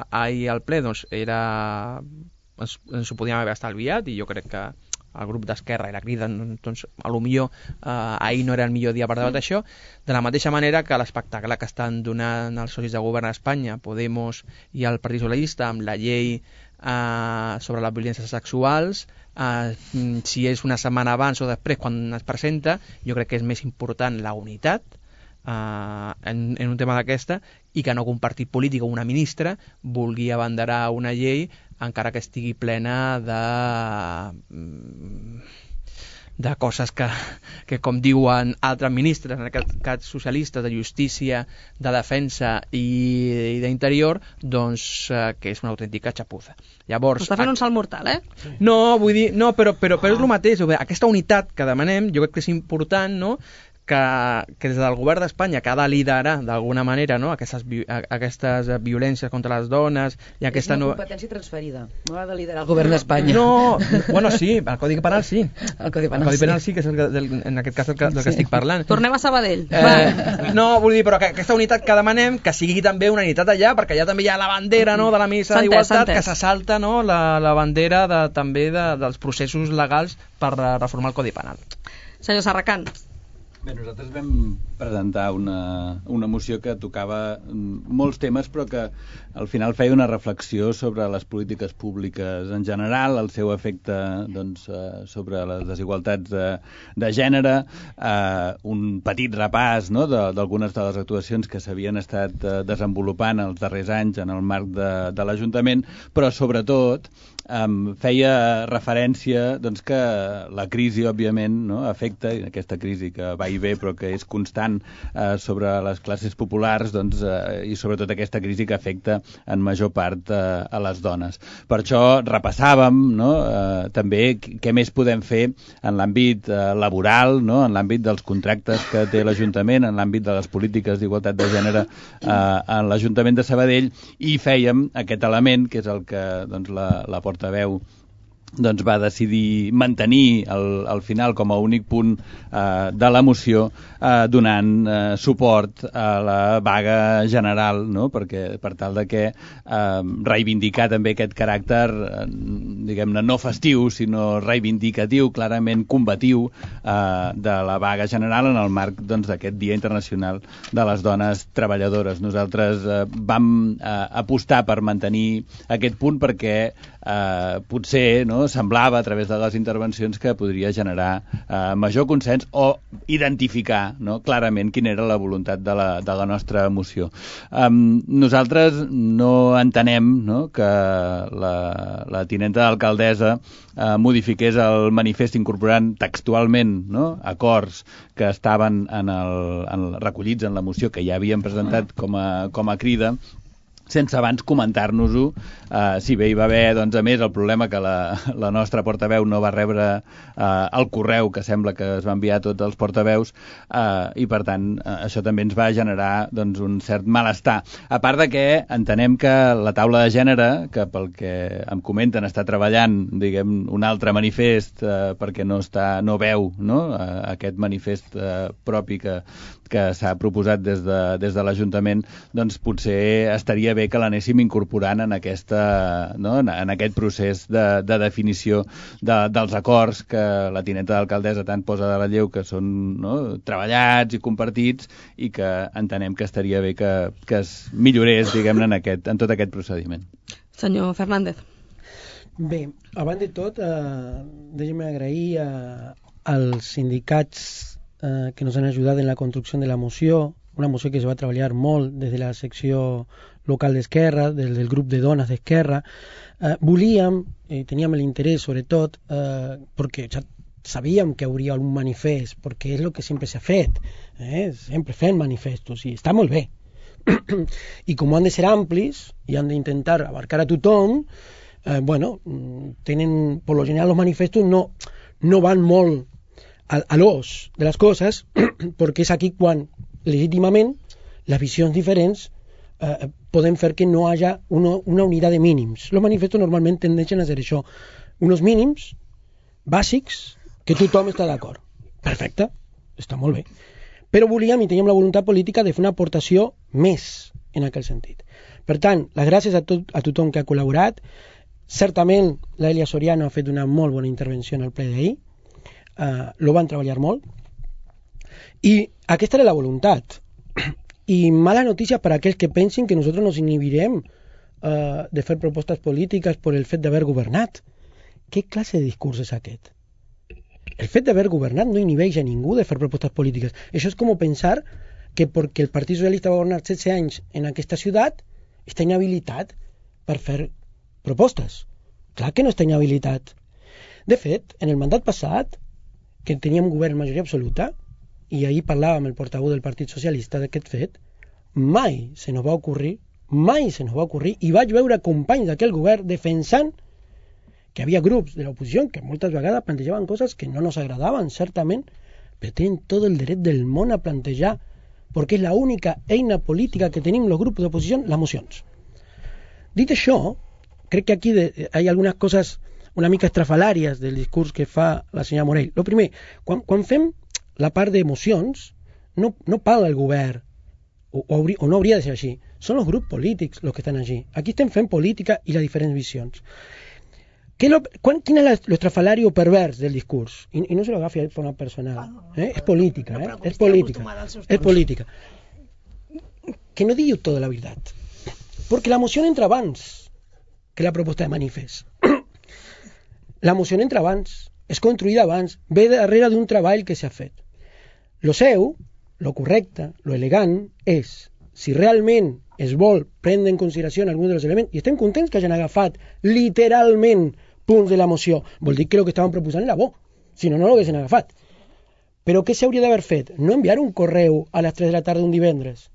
ahir al ple doncs, ens ho podíem haver estalviat, i jo crec que el grup d'Esquerra i la Crida, doncs, potser ahir no era el millor dia per debatre això, de la mateixa manera que l'espectacle que estan donant els socis de govern a Espanya, Podemos i el Partit Socialista, amb la llei sobre les violències sexuals, si és una setmana abans o després quan es presenta, jo crec que és més important la unitat en un tema d'aquesta, i que no un partit polític o una ministra vulgui abanderar una llei encara que estigui plena de coses que com diuen altres ministres, en aquest cas socialistes, de justícia, de defensa i d'interior, doncs que és una autèntica xapuza. Llavors, està fent un salt mortal, No, vull dir, no, però és el mateix. Aquesta unitat que demanem, jo crec que és important, no?, que des del govern d'Espanya, que ha de liderar d'alguna manera, no?, aquestes violències contra les dones i aquesta... És una competència transferida, no ha de liderar el govern d'Espanya. No, bueno, sí, el Codi Penal sí. El Codi Penal sí, que és en aquest cas del que estic parlant. Tornem a Sabadell. No, vull dir, però que aquesta unitat que demanem, que sigui també una unitat allà, perquè allà també hi ha la bandera, no?, de la missa d'igualtat, que s'assalta, no?, la bandera també dels processos legals per reformar el Codi Penal. Senyor Serracant. Bé, nosaltres vam presentar una moció que tocava molts temes, però que al final feia una reflexió sobre les polítiques públiques en general, el seu efecte sobre les desigualtats de gènere, un petit repàs, no?, d'algunes de les actuacions que s'havien estat desenvolupant els darrers anys en el marc de l'Ajuntament, però sobretot feia referència que la crisi, òbviament, no?, afecta, aquesta crisi que va i ve però que és constant sobre les classes populars, i sobretot aquesta crisi que afecta en major part a les dones. Per això repassàvem, no?, també què més podem fer en l'àmbit laboral, no?, en l'àmbit dels contractes que té l'Ajuntament, en l'àmbit de les polítiques d'igualtat de gènere en l'Ajuntament de Sabadell, i fèiem aquest element, que és el que la portaveu va decidir mantenir al final com a únic punt de la moció, donant suport a la vaga general, no?, perquè per tal de que reivindicar també aquest caràcter, diguem-ne, no festiu, sinó reivindicatiu, clarament combatiu, de la vaga general en el marc d'aquest Dia Internacional de les Dones Treballadores. Nosaltres vam apostar per mantenir aquest punt perquè potser, no?, semblava a través de les intervencions que podria generar major consens o identificar, no?, clarament quina era la voluntat de la nostra moció. Nosaltres no entenem, no?, que la tinenta d'alcaldessa modifiqués el manifest incorporant textualment, no?, acords que estaven recollits en la moció que ja havíem presentat com a crida, sense abans comentar-nos-ho, si bé hi va haver, a més, el problema que la nostra portaveu no va rebre el correu que sembla que es va enviar a tots els portaveus, i per tant això també ens va generar un cert malestar. A part de que entenem que la taula de gènere, que pel que em comenten està treballant, diguem, un altre manifest perquè no veu, no?, aquest manifest propi que s'ha proposat des de l'Ajuntament, doncs potser estaria bé que l'anéssim incorporant en aquest procés de definició dels acords que la tinenta d'alcaldessa tant posa de relleu, que són, no?, treballats i compartits, i que entenem que estaria bé que es millorés, diguem-ne, en tot aquest procediment. Senyor Fernández. Bé, abans de tot, deixem agrair als sindicats que nos han ajudat en la construcció de la moció, una moció que se va treballar molt des de la secció local d'Esquerra, des del grup de dones d'Esquerra. Volíem, teníem l'interès sobretot, perquè sabíem que hauria un manifest, perquè és el que sempre s'ha fet, sempre fem manifestos, i està molt bé. I com han de ser amplis i han d'intentar abarcar a tothom, tenen, per lo general, els manifestos no van molt a l'os de les coses, perquè és aquí quan legítimament les visions diferents poden fer que no hagi una unitat de mínims. Els manifestos normalment tendeixen a ser això, uns mínims bàsics que tothom està d'acord. Perfecte, està molt bé. Però volíem i teníem la voluntat política de fer una aportació més en aquest sentit. Per tant, les gràcies a tothom que ha col·laborat. Certament l'Elia Soriano ha fet una molt bona intervenció en el ple d'ahir, lo van treballar molt, i aquesta era la voluntat. I mala notícia per a aquells que pensin que nosaltres nos inhibirem de fer propostes polítiques per el fet d'haver governat. Què classe de discurs és aquest? El fet d'haver governat no inhibeix a ningú de fer propostes polítiques. Això és com pensar que perquè el Partit Socialista va governar 16 anys en aquesta ciutat està inhabilitat per fer propostes. Clar que no està inhabilitat. De fet, en el mandat passat, que teníem govern majoria absoluta, i ahir parlàvem el portaveu del Partit Socialista d'aquest fet, mai se nos va ocorrir, i vaig veure companys d'aquell govern defensant que havia grups de l'oposició que moltes vegades plantejaven coses que no nos agradaven, certament, però tenen tot el dret del món a plantejar, perquè és l'única eina política que tenim els grups d'oposició, les mocions. Dit això, crec que aquí hi ha algunes coses una mica estrafalàries del discurs que fa la senyora Morell. Lo primer, quan fem la part d'emocions, no parla el govern, o no hauria de ser així. Són els grups polítics els que estan allí. Aquí estem fent política i les diferents visions. Quin és l'estrafalari o pervers del discurs? I no se lo agafi de forma personal. És política. És política. Que no digui tota la veritat. Perquè la moció entra abans que la proposta de manifest. La moció entra abans, és construïda abans, ve darrere d'un treball que s'ha fet. Lo seu, lo correcte, lo elegant, és, si realment es vol prendre en consideració algun dels elements, i estem contents que hagin agafat literalment punts de la moció, vol dir que el que estaven proposant era bo, si no, no l'haguessin agafat. Però què s'hauria d'haver fet? No enviar un correu a les 3 de la tarda un divendres.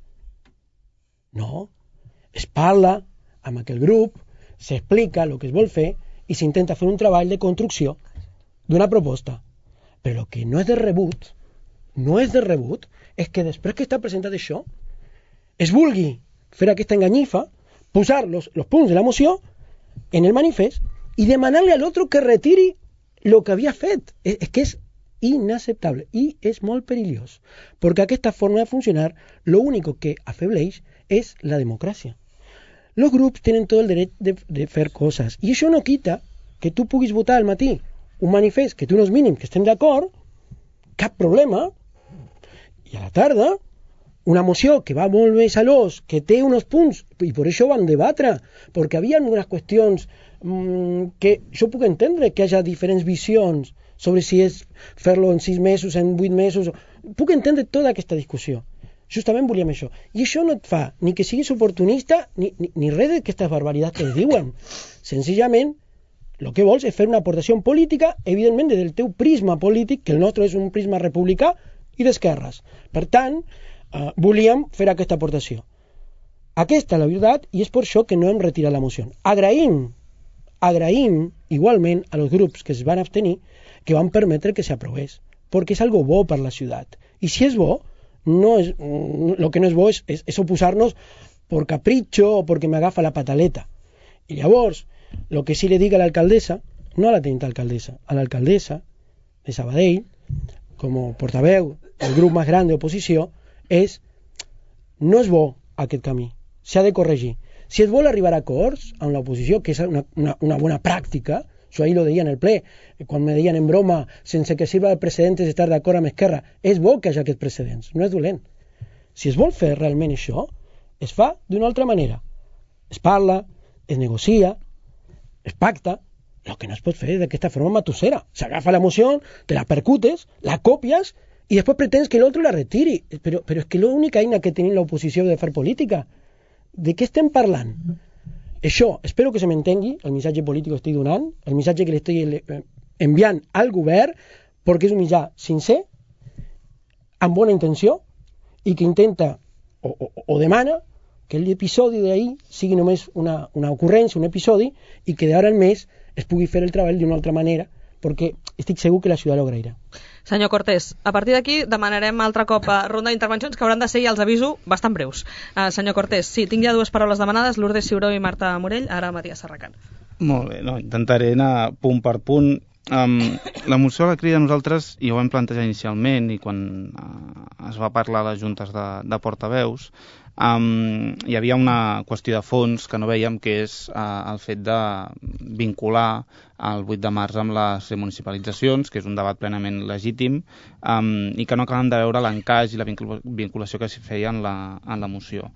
No, es parla amb aquell grup, s'explica el que es vol fer, i s'intenta fer un treball de construcció d'una proposta. Però el que no és de rebut, és que després que està presentat això, es vulgui fer aquesta enganyifa, posar los punts de la moció en el manifest i demanar-li a l'altre que retiri el que havia fet. És que és inaceptable i és molt perillós, perquè aquesta forma de funcionar lo único que afebleix és la democràcia. Los grups tenen tot el dret de fer coses. I això no quita que tu puguis votar al matí un manifest que té uns mínims que estem d'acord, cap problema, i a la tarda una moció que va molt més a l'os, que té uns punts, i per això van debatre, perquè havia algunes qüestions que jo puc entendre que hi ha diferents visions sobre si és fer-lo en 6 mesos, en 8 mesos. Puc entendre tota aquesta discussió. Justament volíem això. I això no et fa ni que siguis oportunista ni res d'aquestes barbaritats que es diuen. Senzillament, el que vols és fer una aportació política, evidentment, des del teu prisma polític, que el nostre és un prisma republicà i d'esquerres. Per tant, volíem fer aquesta aportació. Aquesta és la veritat i és per això que no hem retirat la moció. Agraïm igualment a los grups que es van abstenir que van permetre que s'aprovés, perquè és algo bo per la ciutat. I si és bo, lo que no és bo és oposar-nos per capritxo o perquè m'agafa la pataleta. I llavors, lo que sí le dic a l'alcaldessa, no a la teniente alcaldessa, a l'alcaldessa de Sabadell, com a portaveu del grup més gran d'oposició, no és bo aquest camí, s'ha de corregir. Si es vol arribar a acords amb l'oposició, que és una bona pràctica, això ahir lo deia en el ple, quan me deien en broma, sense que sirva de precedentes estar d'acord amb Esquerra, és bo que hi hagi aquests precedents, no és dolent. Si es vol fer realment això, es fa d'una altra manera. Es parla, es negocia, es pacta. El que no es pot fer és d'aquesta forma matussera. S'agafa la moció, te la percutes, la copies i després pretens que l'altre la retiri. Però és que l'única eina que tenim l'oposició de fer política. De què estem parlant? Això, espero que se m'entengui, el missatge polític que estic donant, el missatge que l'estic enviant al govern, perquè és un mitjà sincer, amb bona intenció, i que intenta o demana que l'episodi d'ahir sigui només una ocurrència, un episodi, i que d'ara en més es pugui fer el treball d'una altra manera, perquè estic segur que la ciutat ho agrairà. Senyor Cortés, a partir d'aquí demanarem altre cop ronda d'intervencions que hauran de ser, ja els aviso, bastant breus. Senyor Cortés, sí, tinc ja 2 paraules demanades, Lourdes Ciuró i Marta Morell, ara Matías Serracant. Molt bé, intentaré anar punt per punt. La moció la crida nosaltres, i ho vam plantejar inicialment, i quan es va parlar a les juntes de portaveus, hi havia una qüestió de fons que no veiem, que és el fet de vincular el 8 de març amb les remunicipalitzacions, que és un debat plenament legítim, i que no acabem de veure l'encaix i la vinculació que s'hi feia en la moció.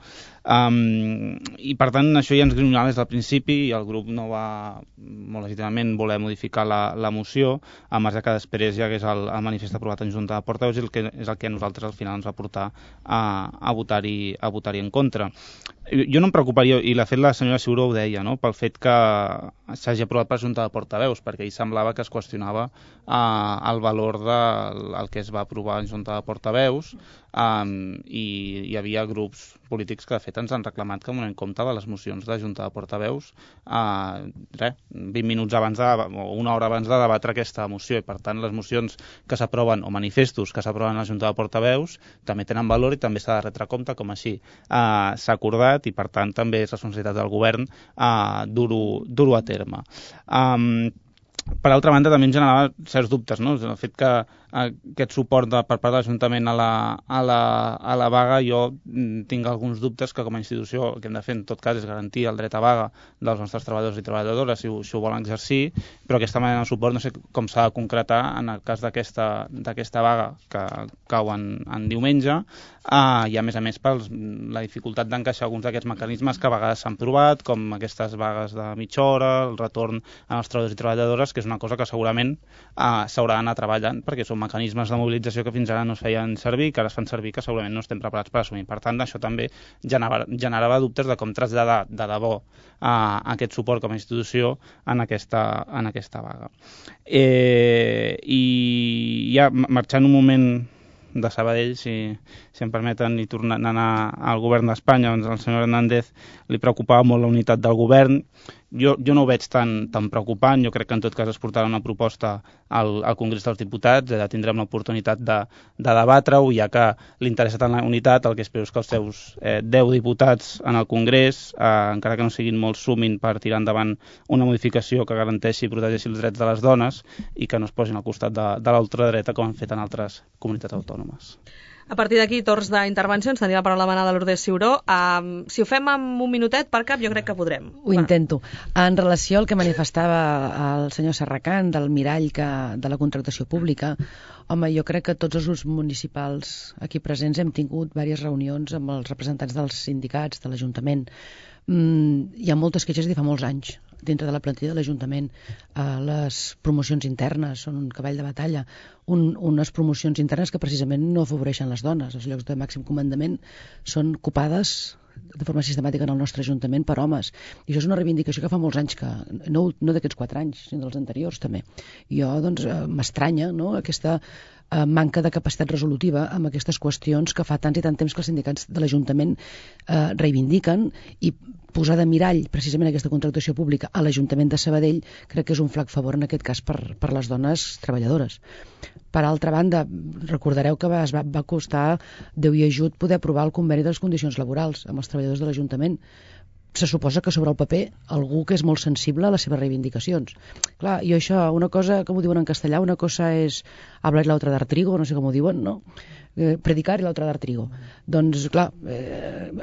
I per tant això ja ens grinolava des del principi i el grup no va molt legítimament voler modificar la moció, a marge que després hi hagués el manifest aprovat en Junta de Portaveus, i és el que a nosaltres al final ens va portar a votar-hi votar-hi en contra. Jo no em preocuparia, i de fet la senyora Ciuró ho deia, no?, pel fet que s'hagi aprovat per Junta de Portaveus, perquè ell semblava que es qüestionava el valor del que es va aprovar en Junta de Portaveus, i hi havia grups polítics que de fet ens han reclamat que donem compte de les mocions de Junta de Portaveus 20 minuts abans o una hora abans de debatre aquesta moció, i per tant les mocions que s'aproven, o manifestos que s'aproven a la Junta de Portaveus, també tenen valor i també s'ha de retre compte, com així s'ha acordat, i per tant també és responsabilitat del govern dur-ho a terme. Per altra banda, també em generava certs dubtes, no? El fet que aquest suport per part de l'Ajuntament a la vaga, jo tinc alguns dubtes que com a institució el que hem de fer en tot cas és garantir el dret a vaga dels nostres treballadors i treballadores si ho volen exercir, però aquesta manera de suport no sé com s'ha de concretar en el cas d'aquesta vaga que cau en diumenge, i a més per la dificultat d'encaixar alguns d'aquests mecanismes que a vegades s'han provat, com aquestes vagues de mitja hora, el retorn als treballadors i treballadores, que és una cosa que segurament s'haurà d'anar treballant, perquè són mecanismes de mobilització que fins ara no es feien servir, que ara es fan servir, que segurament no estem preparats per assumir. Per tant, això també generava dubtes de com traslladar de debò aquest suport com a institució en aquesta vaga. I ja marxant un moment de Sabadell, si em permeten, i tornant a anar al govern d'Espanya, doncs al senyor Hernández li preocupava molt la unitat del govern. Jo no ho veig tan preocupant, jo crec que en tot cas es portarà una proposta al Congrés dels Diputats, tindrem l'oportunitat de debatre-ho, ja que li interessa tant la unitat, el que espero és que els seus 10 diputats en el Congrés, encara que no siguin molt, sumin per tirar endavant una modificació que garanteixi i protegeixi els drets de les dones i que no es posin al costat de l'ultradreta com han fet en altres comunitats autònomes. A partir d'aquí, torns d'intervencions, tenia la paraula la manada Lourdes Ciuró. Si ho fem amb un minutet per cap, jo crec que podrem. Ho intento. En relació al que manifestava el senyor Serracant del mirall de la contractació pública, home, jo crec que tots els grups municipals aquí presents hem tingut diverses reunions amb els representants dels sindicats, de l'Ajuntament. Hi ha moltes queixes de fa molts anys dintre de la plantilla de l'Ajuntament. Les promocions internes són un cavall de batalla, unes promocions internes que precisament no afavoreixen les dones. Els llocs de màxim comandament són copades de forma sistemàtica en el nostre Ajuntament per homes, i això és una reivindicació que fa molts anys, que no d'aquests 4 anys, sinó dels anteriors també. Jo, doncs, m'estranya, no?, aquesta manca de capacitat resolutiva amb aquestes qüestions que fa tant i tant temps que els sindicats de l'Ajuntament reivindiquen, i posar de mirall precisament aquesta contractació pública a l'Ajuntament de Sabadell crec que és un flac favor en aquest cas per les dones treballadores. Per altra banda, recordareu que va costar Déu i ajut poder aprovar el conveni de les condicions laborals amb els treballadors de l'Ajuntament. Se suposa que sobre el paper algú que és molt sensible a les seves reivindicacions. Clar, i això, una cosa, com ho diuen en castellà, una cosa és hablar y la otra dar trigo, no sé com ho diuen, no? Predicar i l'altra dar trigo. Doncs, clar,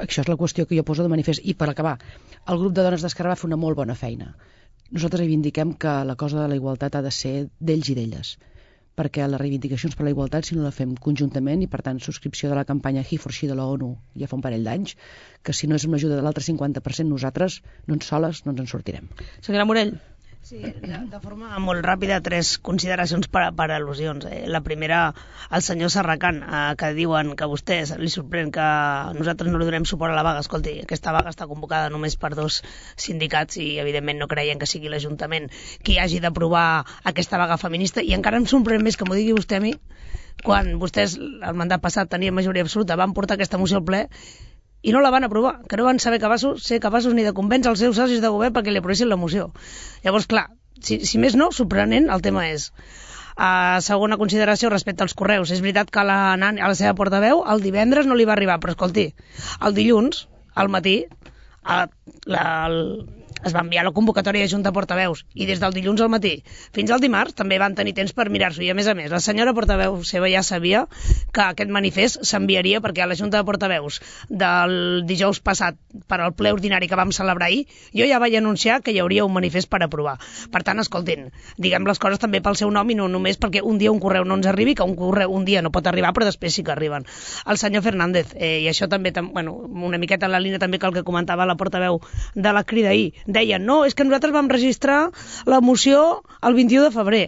això és la qüestió que jo poso de manifest. I per acabar, el grup de dones d'Esquerra va fer una molt bona feina. Nosaltres reivindiquem que la cosa de la igualtat ha de ser d'ells i d'elles, perquè les reivindicacions per la igualtat, si no la fem conjuntament, i per tant subscripció de la campanya He for She de l'ONU ja fa un parell d'anys, que si no és amb l'ajuda de l'altre 50%, nosaltres, soles, no ens en sortirem. Senyora Morell. Sí, de forma molt ràpida, 3 consideracions per al·lusions. La primera, el senyor Serracant, que diuen que a vostès li sorprèn que nosaltres no li donem suport a la vaga. Escolti, aquesta vaga està convocada només per 2 sindicats i evidentment no creien que sigui l'Ajuntament qui hagi d'aprovar aquesta vaga feminista, i encara em sorprèn més que m'ho digui vostè a mi, quan vostès el mandat passat tenien majoria absoluta, van portar aquesta moció al ple i no la van aprovar, que no van ser capaços ni de convèncer els seus socis de govern perquè li aprovessin la moció. Llavors, clar, si més no, sorprenent el tema és. Segona consideració respecte als correus. És veritat que a la seva portaveu el divendres no li va arribar, però escolti, el dilluns, al matí, es va enviar la convocatòria de Junta de Portaveus, i des del dilluns al matí fins al dimarts també van tenir temps per mirar-s'ho, i a més, la senyora portaveu seva ja sabia que aquest manifest s'enviaria, perquè a la Junta de Portaveus del dijous passat per al ple ordinari que vam celebrar ahir, jo ja vaig anunciar que hi hauria un manifest per aprovar. Per tant, escoltin, diguem les coses també pel seu nom i no només perquè un dia un correu no ens arribi, que un correu un dia no pot arribar però després sí que arriben. El senyor Fernández, i això també, una miqueta en la línia també que el que comentava la portaveu de la Crida ahir, deien, no, és que nosaltres vam registrar la moció el 21 de febrer.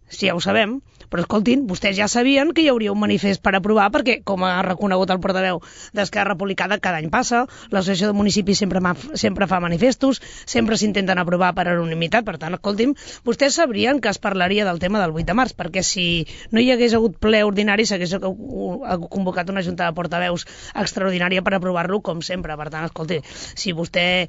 Sí, ja ho sabem, Però escoltin, vostès ja sabien que hi hauria un manifest per aprovar, perquè, com ha reconegut el portaveu d'Esquerra Republicana, cada any passa, l'associació de municipis sempre fa manifestos, sempre s'intenten aprovar per unanimitat, per tant, escolti'm, vostès sabrien que es parlaria del tema del 8 de març, perquè si no hi hagués hagut ple ordinari s'hagués convocat una junta de portaveus extraordinària per aprovar-lo, com sempre. Per tant, escolti, si vostè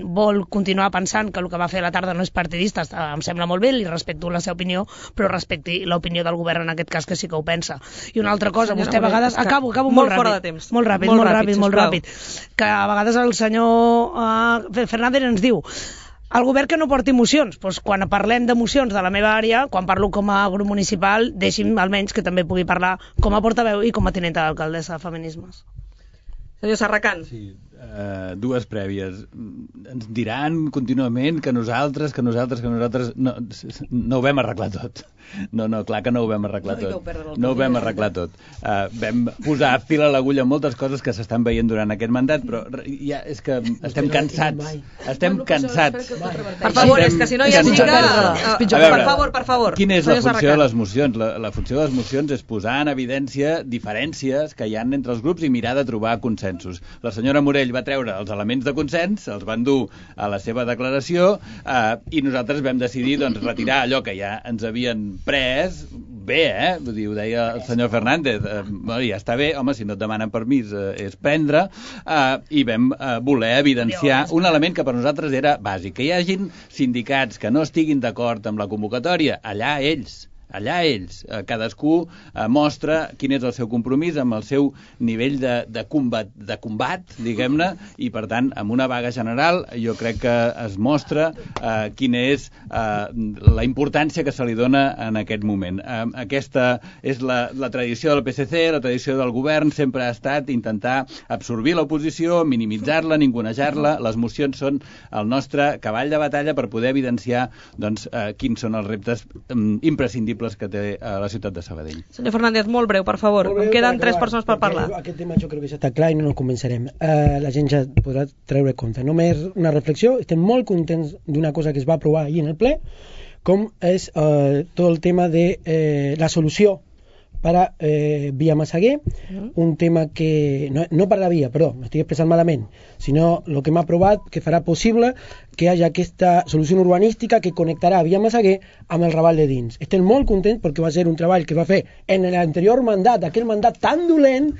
vol continuar pensant que el que va fer a la tarda no és partidista, em sembla molt bé, li respecto la seva opinió, però respecti l'opinió del govern en aquest cas, que sí que ho pensa. I una altra cosa, vostè a vegades... Acabo molt ràpid. Molt ràpid. Que a vegades el senyor Fernández ens diu el govern que no porti mocions. Doncs quan parlem de mocions de la meva àrea, quan parlo com a grup municipal, deixi'm almenys que també pugui parlar com a portaveu i com a tinenta d'alcaldessa de Feminismes. Senyor Serracant. Sí, dues prèvies. Ens diran contínuament que nosaltres no ho vam arreglar tot. No, clar que no ho vam arreglar tot. No ho vam arreglar tot. Vam posar fil a l'agulla moltes coses que s'estan veient durant aquest mandat, però ja és que estem cansats. Estem cansats. Per favor, és que si no ja sí que... Per favor. Quina és la funció de les mocions? La funció de les mocions és posar en evidència diferències que hi ha entre els grups i mirar de trobar consensos. La senyora Morell va treure els elements de consens, els van dur a la seva declaració i nosaltres vam decidir retirar allò que ja ens havien pres. Bé, vull dir, ho deia el senyor Fernández, ja està bé, home, si no et demanen permís és prendre, i vam voler evidenciar un element que per nosaltres era bàsic, que hi hagin sindicats que no estiguin d'acord amb la convocatòria, allà ells, cadascú mostra quin és el seu compromís amb el seu nivell de combat, diguem-ne, i per tant, amb una vaga general, jo crec que es mostra quina és la importància que se li dona en aquest moment. Aquesta és la tradició del PSC, la tradició del govern, sempre ha estat intentar absorbir l'oposició, minimitzar-la, ningunejar-la. Les mocions són el nostre cavall de batalla per poder evidenciar quins són els reptes imprescindibles que té la ciutat de Sabadell. Senyor Fernández, molt breu, per favor. Em queden 3 persones per parlar. Aquest tema jo crec que ja està clar i no ens convencerem. La gent ja podrà treure compte. Només una reflexió. Estem molt contents d'una cosa que es va aprovar ahir en el ple, com és tot el tema de la solució para via Massaguer, un tema que no per la via, perdó, m'estic expressant malament, sinó el que hem aprovat que farà possible que hi hagi aquesta solució urbanística que connectarà via Massaguer amb el Raval de dins. Estem molt contents perquè va ser un treball que es va fer en l'anterior mandat, aquell mandat tan dolent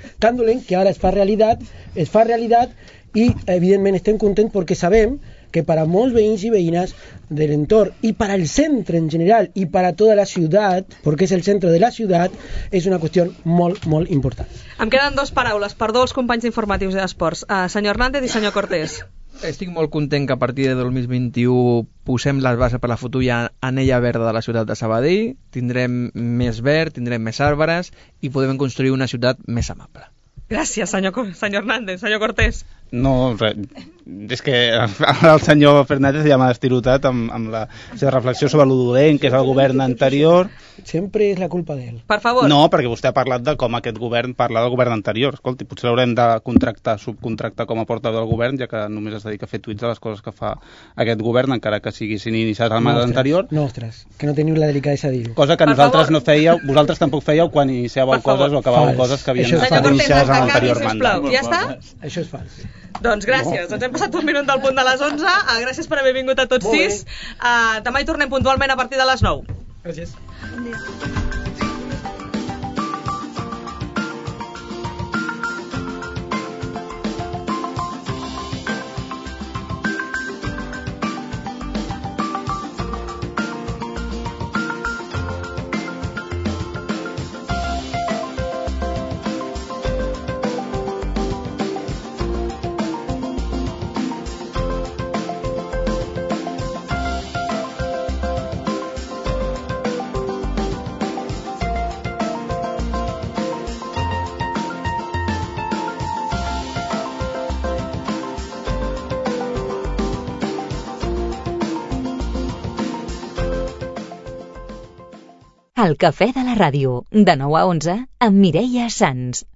que ara es fa realitat i evidentment estem contents perquè sabem que para molts veïns i veïnes de l'entorn i per al centre en general i per a tota la ciutat, perquè és el centre de la ciutat, és una qüestió molt, molt important. Em queden 2 paraules per 2 companys informatius i d'esports. Senyor Hernández i senyor Cortés. Estic molt content que a partir de 2021 posem les bases per la futura anella verda de la ciutat de Sabadell, tindrem més verd, tindrem més arbres i podem construir una ciutat més amable. Gràcies, senyor Hernández. Senyor Cortés. No, és que el senyor Fernández ja m'ha estirotat amb la seva reflexió sobre lo dolent que és el govern anterior. Sempre és la culpa d'ell. Per favor. No, perquè vostè ha parlat de com aquest govern parla del govern anterior. Escolti, potser l'haurem de subcontractar com a portaveu del govern, ja que només es dedica a fer tuits de les coses que fa aquest govern, encara que siguin iniciats al mandat anterior. Nostres, que no teniu la delicadesa de dir-ho. Cosa que nosaltres no fèieu, vosaltres tampoc fèieu quan iniciàveu coses o acabàveu coses que havien estat iniciades a l'anterior mandat. Ja està? Això és fals. Doncs gràcies, ens hem passat un minut del punt de les 11. Gràcies per haver vingut a tots 6. Demà hi tornem puntualment a partir de les 9. Gràcies. Bon dia. El cafè de la ràdio, de 9 a 11, amb Mireia Sans.